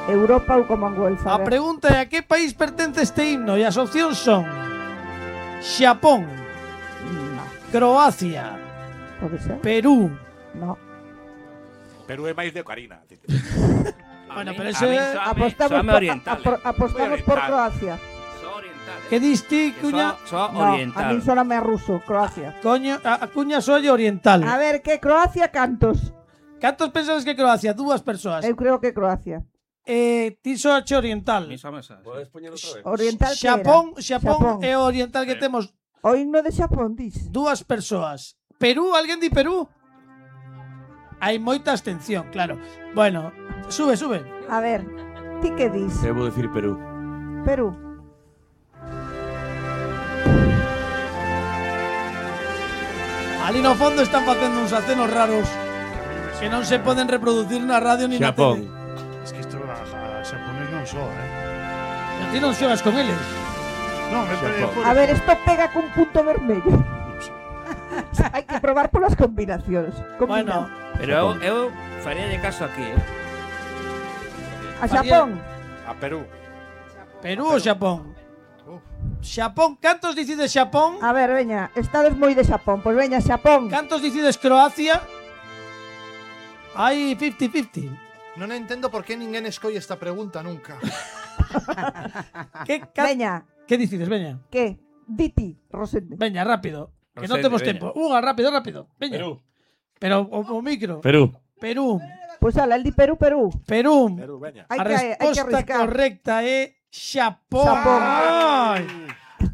Europa ou Commonwealth. A ver. pregunta é a que país pertence este himno e as opcións son Xapón, Croacia, Pode ser? Perú. No. Perú é máis de Ocarina. Bueno, pero A ese mí soame- Apostamos, soame por, oriental. apro- apostamos por oriental. Croacia. Soa oriental. Que diste, Que Cuña? soa- soa No, a oriental. mí soname a ruso, Croacia. Coño, a, a Cuña solle oriental. A ver, que Croacia cantos? Cantos pensas que Croacia? Dúas persoas. Eu creo que Croacia. Eh, ti soache A oriental. mí soame esa. Podes poñer outra vez? Oriental que Xapón, era? Xapón, é o oriental que temos O himno de Xapón, dis. dúas persoas. Perú, alguén di Perú? Hai moita abstención, claro. Bueno, sube, sube. A ver, ti que dis? Eu vou dicir Perú. Perú. Ali no fondo están facendo uns acenos raros que non se poden reproducir na radio ni na Xapón. tele. Es que isto a, a xaponés non só, eh. Pero ti non xogas con eles. Non, é Xapón. A ver, esto pega cun punto vermello. Hai que probar polas combinacións. Bueno, Combina. Pero eu, eu faría de caso aquí, eh. A Xapón. A Perú. Perú ou Xapón? Xapón, cantos dicides Xapón? A ver, veña, estades moi de Xapón. Pois veña, Xapón. Cantos dicides Croacia? Hai cincuenta cincuenta. Non entendo por que ninguén escolle esta pregunta nunca. Que ca... Veña. Que dicides, veña? Que? Diti, Rosende. Veña, rápido. Que non Rosende, temos veña. tempo. Unha, rápido, rápido. Veña. Perú. Pero o, o micro. Perú. Perú. Pois ala, el di Perú, Perú. Perú. Perú, veña. Hai A que, hai que resposta arriscar. correcta é Xapón. Xapón. Ai.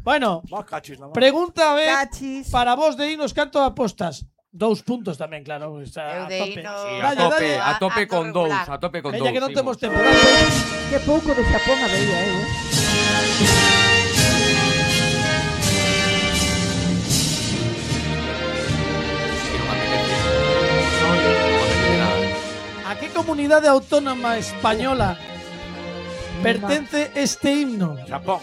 Bueno, Vos cachis, la mano. pregunta B Cachis. para vos de Inos, canto apostas? Dous puntos tamén, claro. Está Eu a de tope. Inos- Sí, a Dalle, tope, dalle. a tope a con todo dous, regular. a tope con Veña dous. que non Imos. temos tempo. Dalle. Que pouco de Xapón a veía, eh. Que non me apetece. Non me apetece nada. A que comunidade autónoma española pertence este himno? Xapón.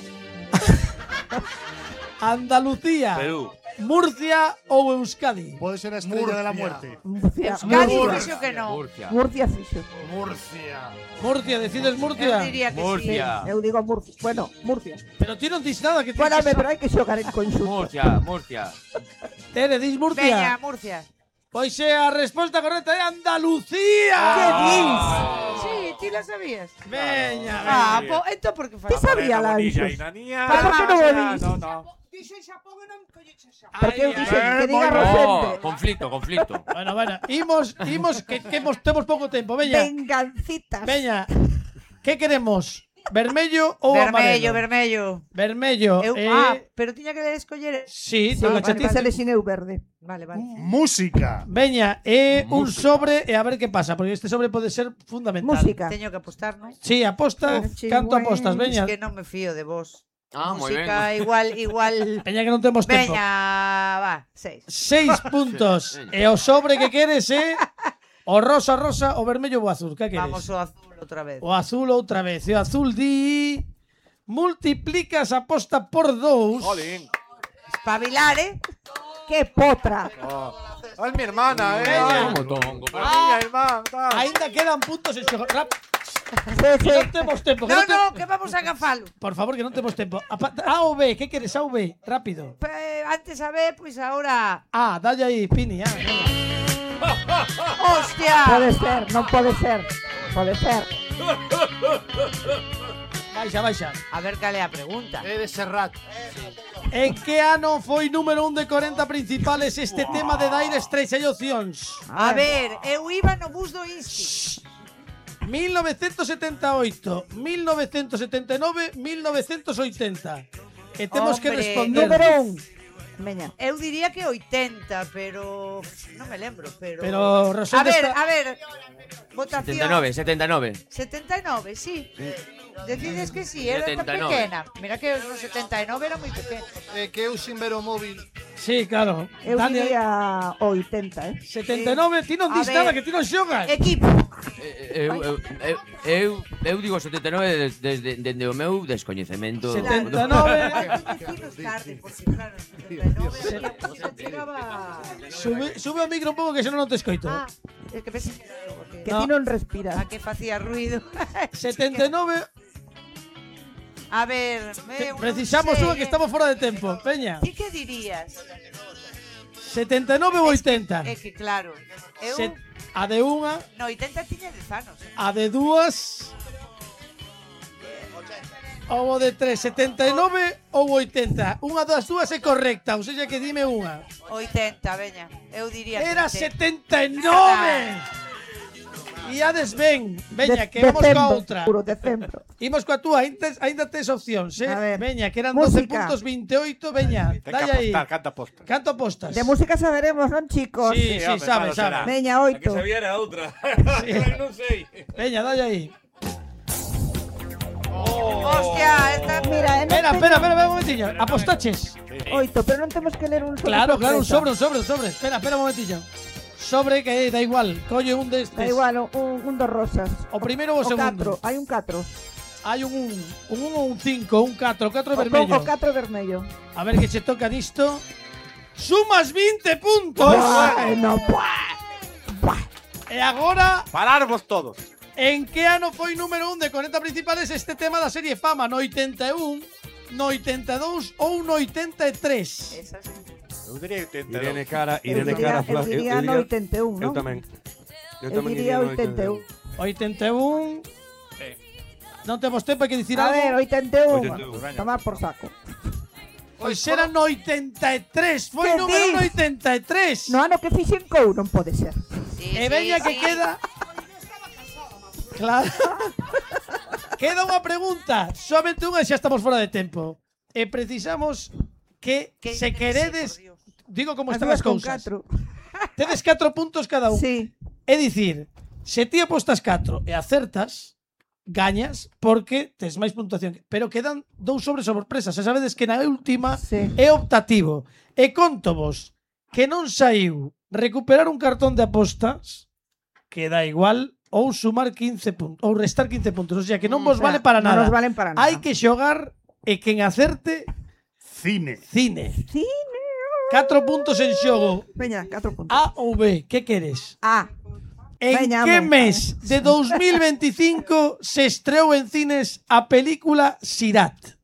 Andalucía, Perú. Murcia ou Euskadi? Puede ser a estrella de la Murcia. muerte. Murcia. Euskadi Murcia. fixo que non. Murcia. Murcia fixo. Murcia. Murcia, decides Eu Murcia? diría que Murcia. Eu digo Murcia. Bueno, Murcia. Pero ti non dis nada que ti Bueno, que pero hai que xogar en conxunto. Murcia, Murcia. Tere, dis sí. Murcia? Veña, Murcia. Pois é a resposta correcta é Andalucía. Que dis? Sí, ti la sabías. Veña, Ah, veña. po, entón por que Ti fala? sabía la Bonilla, Ixos. Inanía. Pero por que non o dis? No, no. Dixen Xapón e non colleche Xapón. Porque eu Ai, dixen ai, que diga moi ben. Rosende. Oh, conflicto, conflicto. Bueno, bueno, imos, imos que, que mos, temos pouco tempo, veña. Vengancitas. Veña. Que queremos? Vermello ou Vermello, amarelo? vermello. Vermello. Eu, eh, ah, pero tiña que escoller. Sí, Sí, toca porque chatita. se lesineu verde. Vale, vale. Música. Veña, é un sobre e a ver que pasa, porque este sobre pode ser fundamental. Música. Teño que apostar, non? Sí, aposta, Oh, canto chigüey. apostas, veña. Es que non me fío de vos. Ah, moi ben. Música igual, igual. Veña que non temos tempo. Veña, va, seis. Seis puntos. E o sobre que queres é o rosa, rosa, o vermello ou o azul. Que queres? Vamos o azul outra vez. O azul outra vez. E o azul di... Multiplicas a aposta por dous. Jolín. Espabilar, eh? Que potra. Oh. Es mi hermana, eh. Veña. Ay, pero niña, hermana, tal. Ainda quedan puntos en xogo. Rap. Sí, sí. Non temos tempo. que No, non te- no, que vamos a agafalo. Por favor, que non temos tempo. A, pa- A ou B, que queres? A ou B? Rápido. Eh, antes a ver, pois ahora. Ah, dalle aí, Pini. Ah, ¡Hostia! Pode ser, non pode ser. Pode ser. baixa, baixa. A ver cal é a pregunta. É de Serrat. En que ano foi número un de corenta principales este tema de Dire Straits? Hai opcións. A ver, eu iba no bus do Insti. mil novecientos setenta e oito, mil novecientos setenta e nove, mil novecientos oitenta. E temos que Hombre, responder. Número un. Veña. Eu diría que oitenta, pero non me lembro, pero Pero A Rosende ver, está... a ver. Votación. setenta e nove, setenta e nove. setenta e nove, sí. Decides que sí, era tan setenta e nove. pequena. Mira que no setenta e nove era moi pequena. É que eu sin ver o móvil. Sí, claro. Eu Dale, diría oitenta, eh. setenta e nove, ti non A dis ver. nada, que ti non xogas. Equipo. Eu, eu, eu, eu, eu digo setenta e nove desde, desde, desde o meu descoñecemento. setenta e nove. Decinos tarde, porque claro, setenta e nove xa chegaba. Sube, sube o micro un pouco que senón non te escoito. Ah, é que pensei que Que No. ti non respiras. a que facía ruido. setenta e nove. A ver, eu non Precisamos sei, unha que eh. estamos fora de tempo. Peña. Ti que dirías? setenta e nove ou oitenta? É que claro, eu Se- A de unha, no oitenta tiña dez anos. Eh? a de dúas. Ou o de tres, setenta e nove ou oitenta. Unha das dúas é correcta, ou seja que dime unha. oitenta, veña. Eu diría que Era oitenta. setenta e nove. E ades ben, veña, De- que vamos coa decembro, outra. puro decembro. Imos coa túa, ainda, ainda tes opcións, eh? A ver. Veña, que eran doce Música. puntos veinte e oito, veña, Ten que dalle aí. apostar, canta aposta. Canto apostas? De música saberemos, non, chicos? Sí, sí, home, sabe, claro, sabe. será. Veña, A que oito. sabía era outra. Sí. non sei. Veña, dalle aí. Hostia, esta Mira, eh, non Espera, teño- espera, espera, un momentillo. Apostaches. Oito, pero non temos que ler un sobre. Claro, claro, un sorpresa. sobre, un sobre, un sobre. Espera, espera un momentillo. Sobre que da igual, colle un destes. Da igual, un, un dos rosas. O primeiro ou o O segundo. catro, hai un catro. Hai un un, un un ou un cinco, un catro, o catro O, vermello. o catro vermello. A ver que che toca nisto. Sumas vinte puntos. Bueno, buah. E agora, Pararvos todos. En que ano foi número un de corneta principales este tema da serie Fama? No oitenta e un, no oitenta e dous ou no oitenta e tres? Esa sí. Eu diría oitenta e dous. Irene Cara, Eu Irene diría, Cara. eu Fla- diría no oitenta e un, Eu non? tamén. Eu Eu tamén diría iría no oitenta e un. oitenta e un. Non temos tempo, hai que dicir A algo. ver, oitenta e un. oitenta e un. Tomar por saco. Pois era no oitenta e tres, foi Que número dis? no oitenta e tres. No ano que fixen cou non pode ser. E veña que queda. Claro. Queda unha pregunta, somente unha e xa estamos fora de tempo. E precisamos que se queredes, digo como As están as dúas con cousas. catro. Tedes catro puntos cada un. Sí. É dicir, se ti apostas catro e acertas, gañas porque tes máis puntuación. Pero quedan dous sobres sorpresas. Xa sabedes que na última Sí. é optativo. E conto vos que non saiu recuperar un cartón de apostas que dá igual ou sumar quince puntos ou restar quince puntos. O sea, que non vos O sea, vale para non nada. nos valen para nada. Hai que xogar e quen acerte Cine. cine. Cine. Catro puntos en xogo. Veña, catro puntos. A ou B, que queres? A. En Veña, que home. mes de dos mil veinticinco se estreou en cines a película Sirat?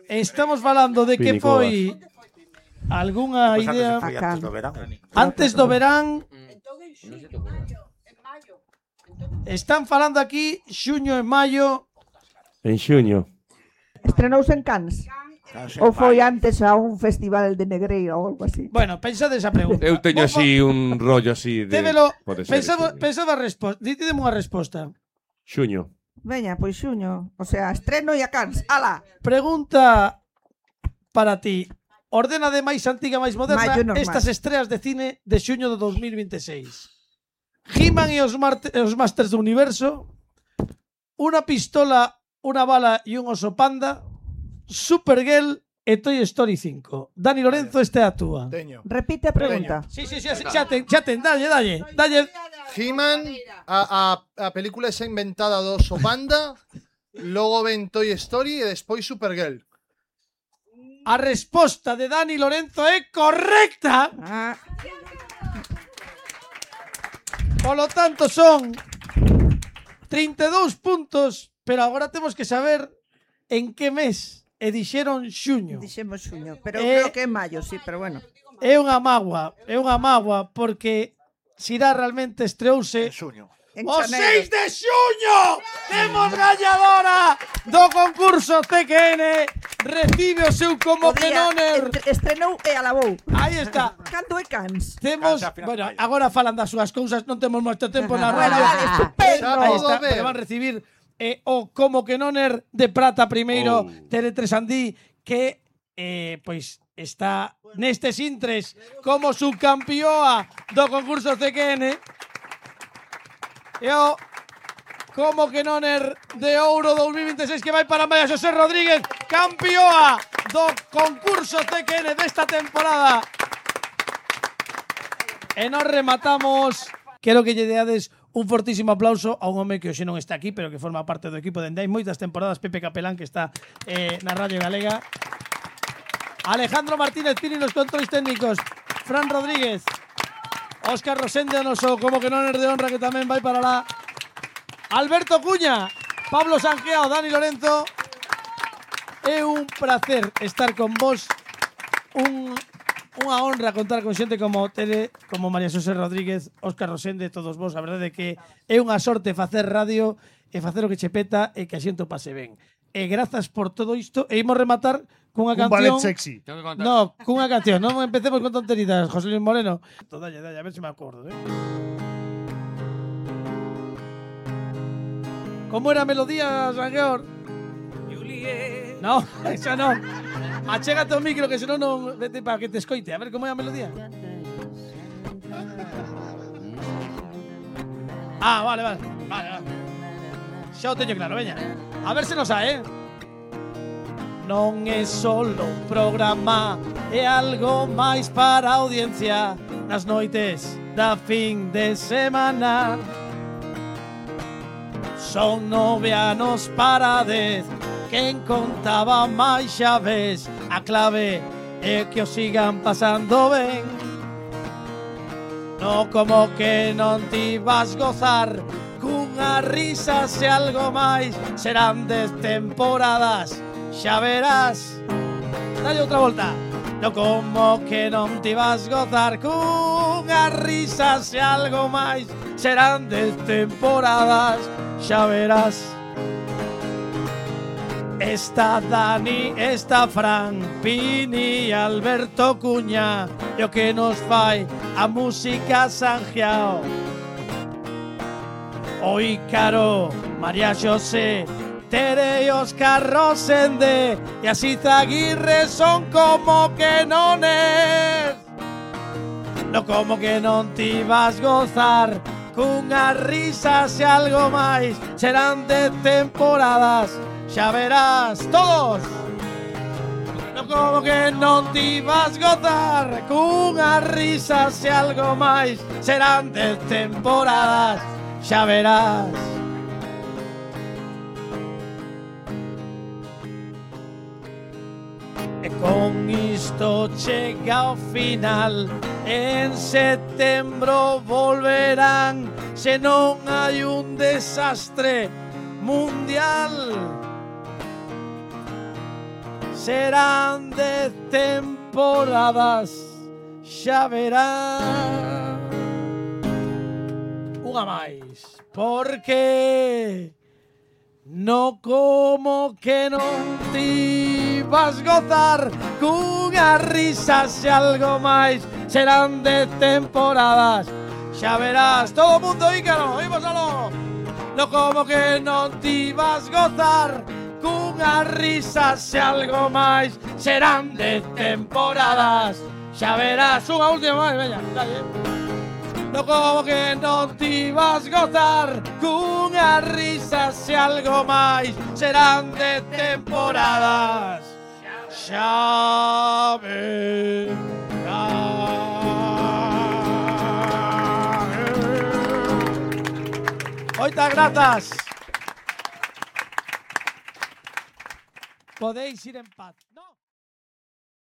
Estamos falando de que Pinicobas. foi algunha Pois antes idea foi antes do verán. antes do verán. Están falando aquí xuño e maio. En xuño. Estrenouse en Cannes. Ou foi antes a un festival de Negreira ou algo así. Bueno, pensade esa pregunta. Eu teño así un rollo así de... Démelo, Pode ser pensaba, xuño. pensaba a resposta. Dídeme unha resposta. Xuño. Veña, pois xuño. O sea, estreno e a Cannes. Ala. Pregunta para ti. Ordena de máis antiga máis moderna Maio normal. estas estreas de cine de xuño de dos mil veintiséis. He-Man e os, Marte- os Masters do Universo, Una pistola, una bala e un oso panda, Supergirl e Toy Story cinco. Dani Lorenzo, esta é a túa. Teño. Repite a pregunta. Sí, sí, sí, xa ten, xa ten, dalle, dalle, dalle. He-Man, a, a, a película esa inventada do oso panda, logo ven Toy Story e despois Supergirl. A resposta de Dani Lorenzo é correcta. Ah. Polo tanto son trinta e dous puntos, pero agora temos que saber en que mes e dixeron xuño. Dixemos xuño, pero Eh, creo que é maio, sí, pero bueno. É unha mágoa, é unha mágoa porque Sirá realmente estreouse xuño. En o xaneiro. seis de xuño. Temos gañadora do concurso C Q N. Recibe o seu como O que día non er. entre- Estrenou e alabou. Aí está. Cando é Cannes? Temos, bueno, agora falan das súas cousas, non temos moito tempo na Bueno, radio. vale, estupendo. Aí está, Todo ben. pero van recibir eh, o como que non er de prata primeiro Oh. Tele tres Andí, que eh, pois está nestes intres como subcampioa do concurso C Q N. E o como que non er de ouro dos mil veintiséis que vai para María Xosé Rodríguez, campioa do concurso C Q N desta temporada. E nos rematamos. Quero que lle deades un fortísimo aplauso a un home que hoxe non está aquí, pero que forma parte do equipo dende hai moitas temporadas, Pepe Capelán, que está eh, na Radio Galega. Alejandro Martínez Pini nos controles técnicos. Fran Rodríguez. Óscar Rosende, o noso como que non er de honra, que tamén vai para lá. Alberto Cuña. Pablo Sanjeao, Dani Lorenzo. É un placer estar con vos. Un Unha honra contar con xente como Tele, como María Xosé Rodríguez, Óscar Rosende, todos vos. A verdade é que é unha sorte facer radio e facer o que che peta e que a xente o pase ben. E grazas por todo isto. E imos rematar cunha Un canción. ballet sexy. No, cunha canción. Non empecemos con tonterías, José Luis Moreno. Dalle, dalle, a ver se me acordo, eh. Como era a melodía, Sangeor? Juliet. No, esa non. Achégate o micro, que senón non vete para que te escoite. A ver como é a melodía. Ah, vale, vale. Vale, vale. Xa o teño claro, veña. A ver se nos sae, eh. Non é solo un programa, é algo máis para a audiencia nas noites da fin de semana. Son nove anos para dez. Quen contaba máis xa ves. A clave é que o sigan pasando ben. No como que non ti vas gozar cun cunhas risas e algo máis serán dez temporadas, xa verás. Dalle outra volta. No como que non ti vas gozar cunhas risas e algo máis serán dez temporadas, xa verás. Esta Dani, esta Fran, Pini e Alberto Cuña e o que nos fai a música Sanjiao. O Ícaro, María Xosé, Tere e Óscar Rosende e así Zaguirre son como que non es. No como que non ti vas gozar cunhas risas e algo máis serán de temporadas, xa verás todos. No como que non ti vas gozar cunhas risas e algo máis serán de temporadas, xa verás. E con isto chega ao final. En setembro volverán se non hai un desastre mundial. Serán de temporadas, xa verán. Unha máis, porque no como que non ti vas gozar cunhas risas e algo máis serán de temporadas, xa verás. Todo o mundo, Ícaro, imos aló. No como que non ti vas gozar cunhas risas e algo máis serán de temporadas, xa verás. Unha última máis, veña, dalle. No como que non ti vas gozar cunhas risas e algo máis serán de temporadas, xa verás. Moitas grazas. Podéis ir en paz. No.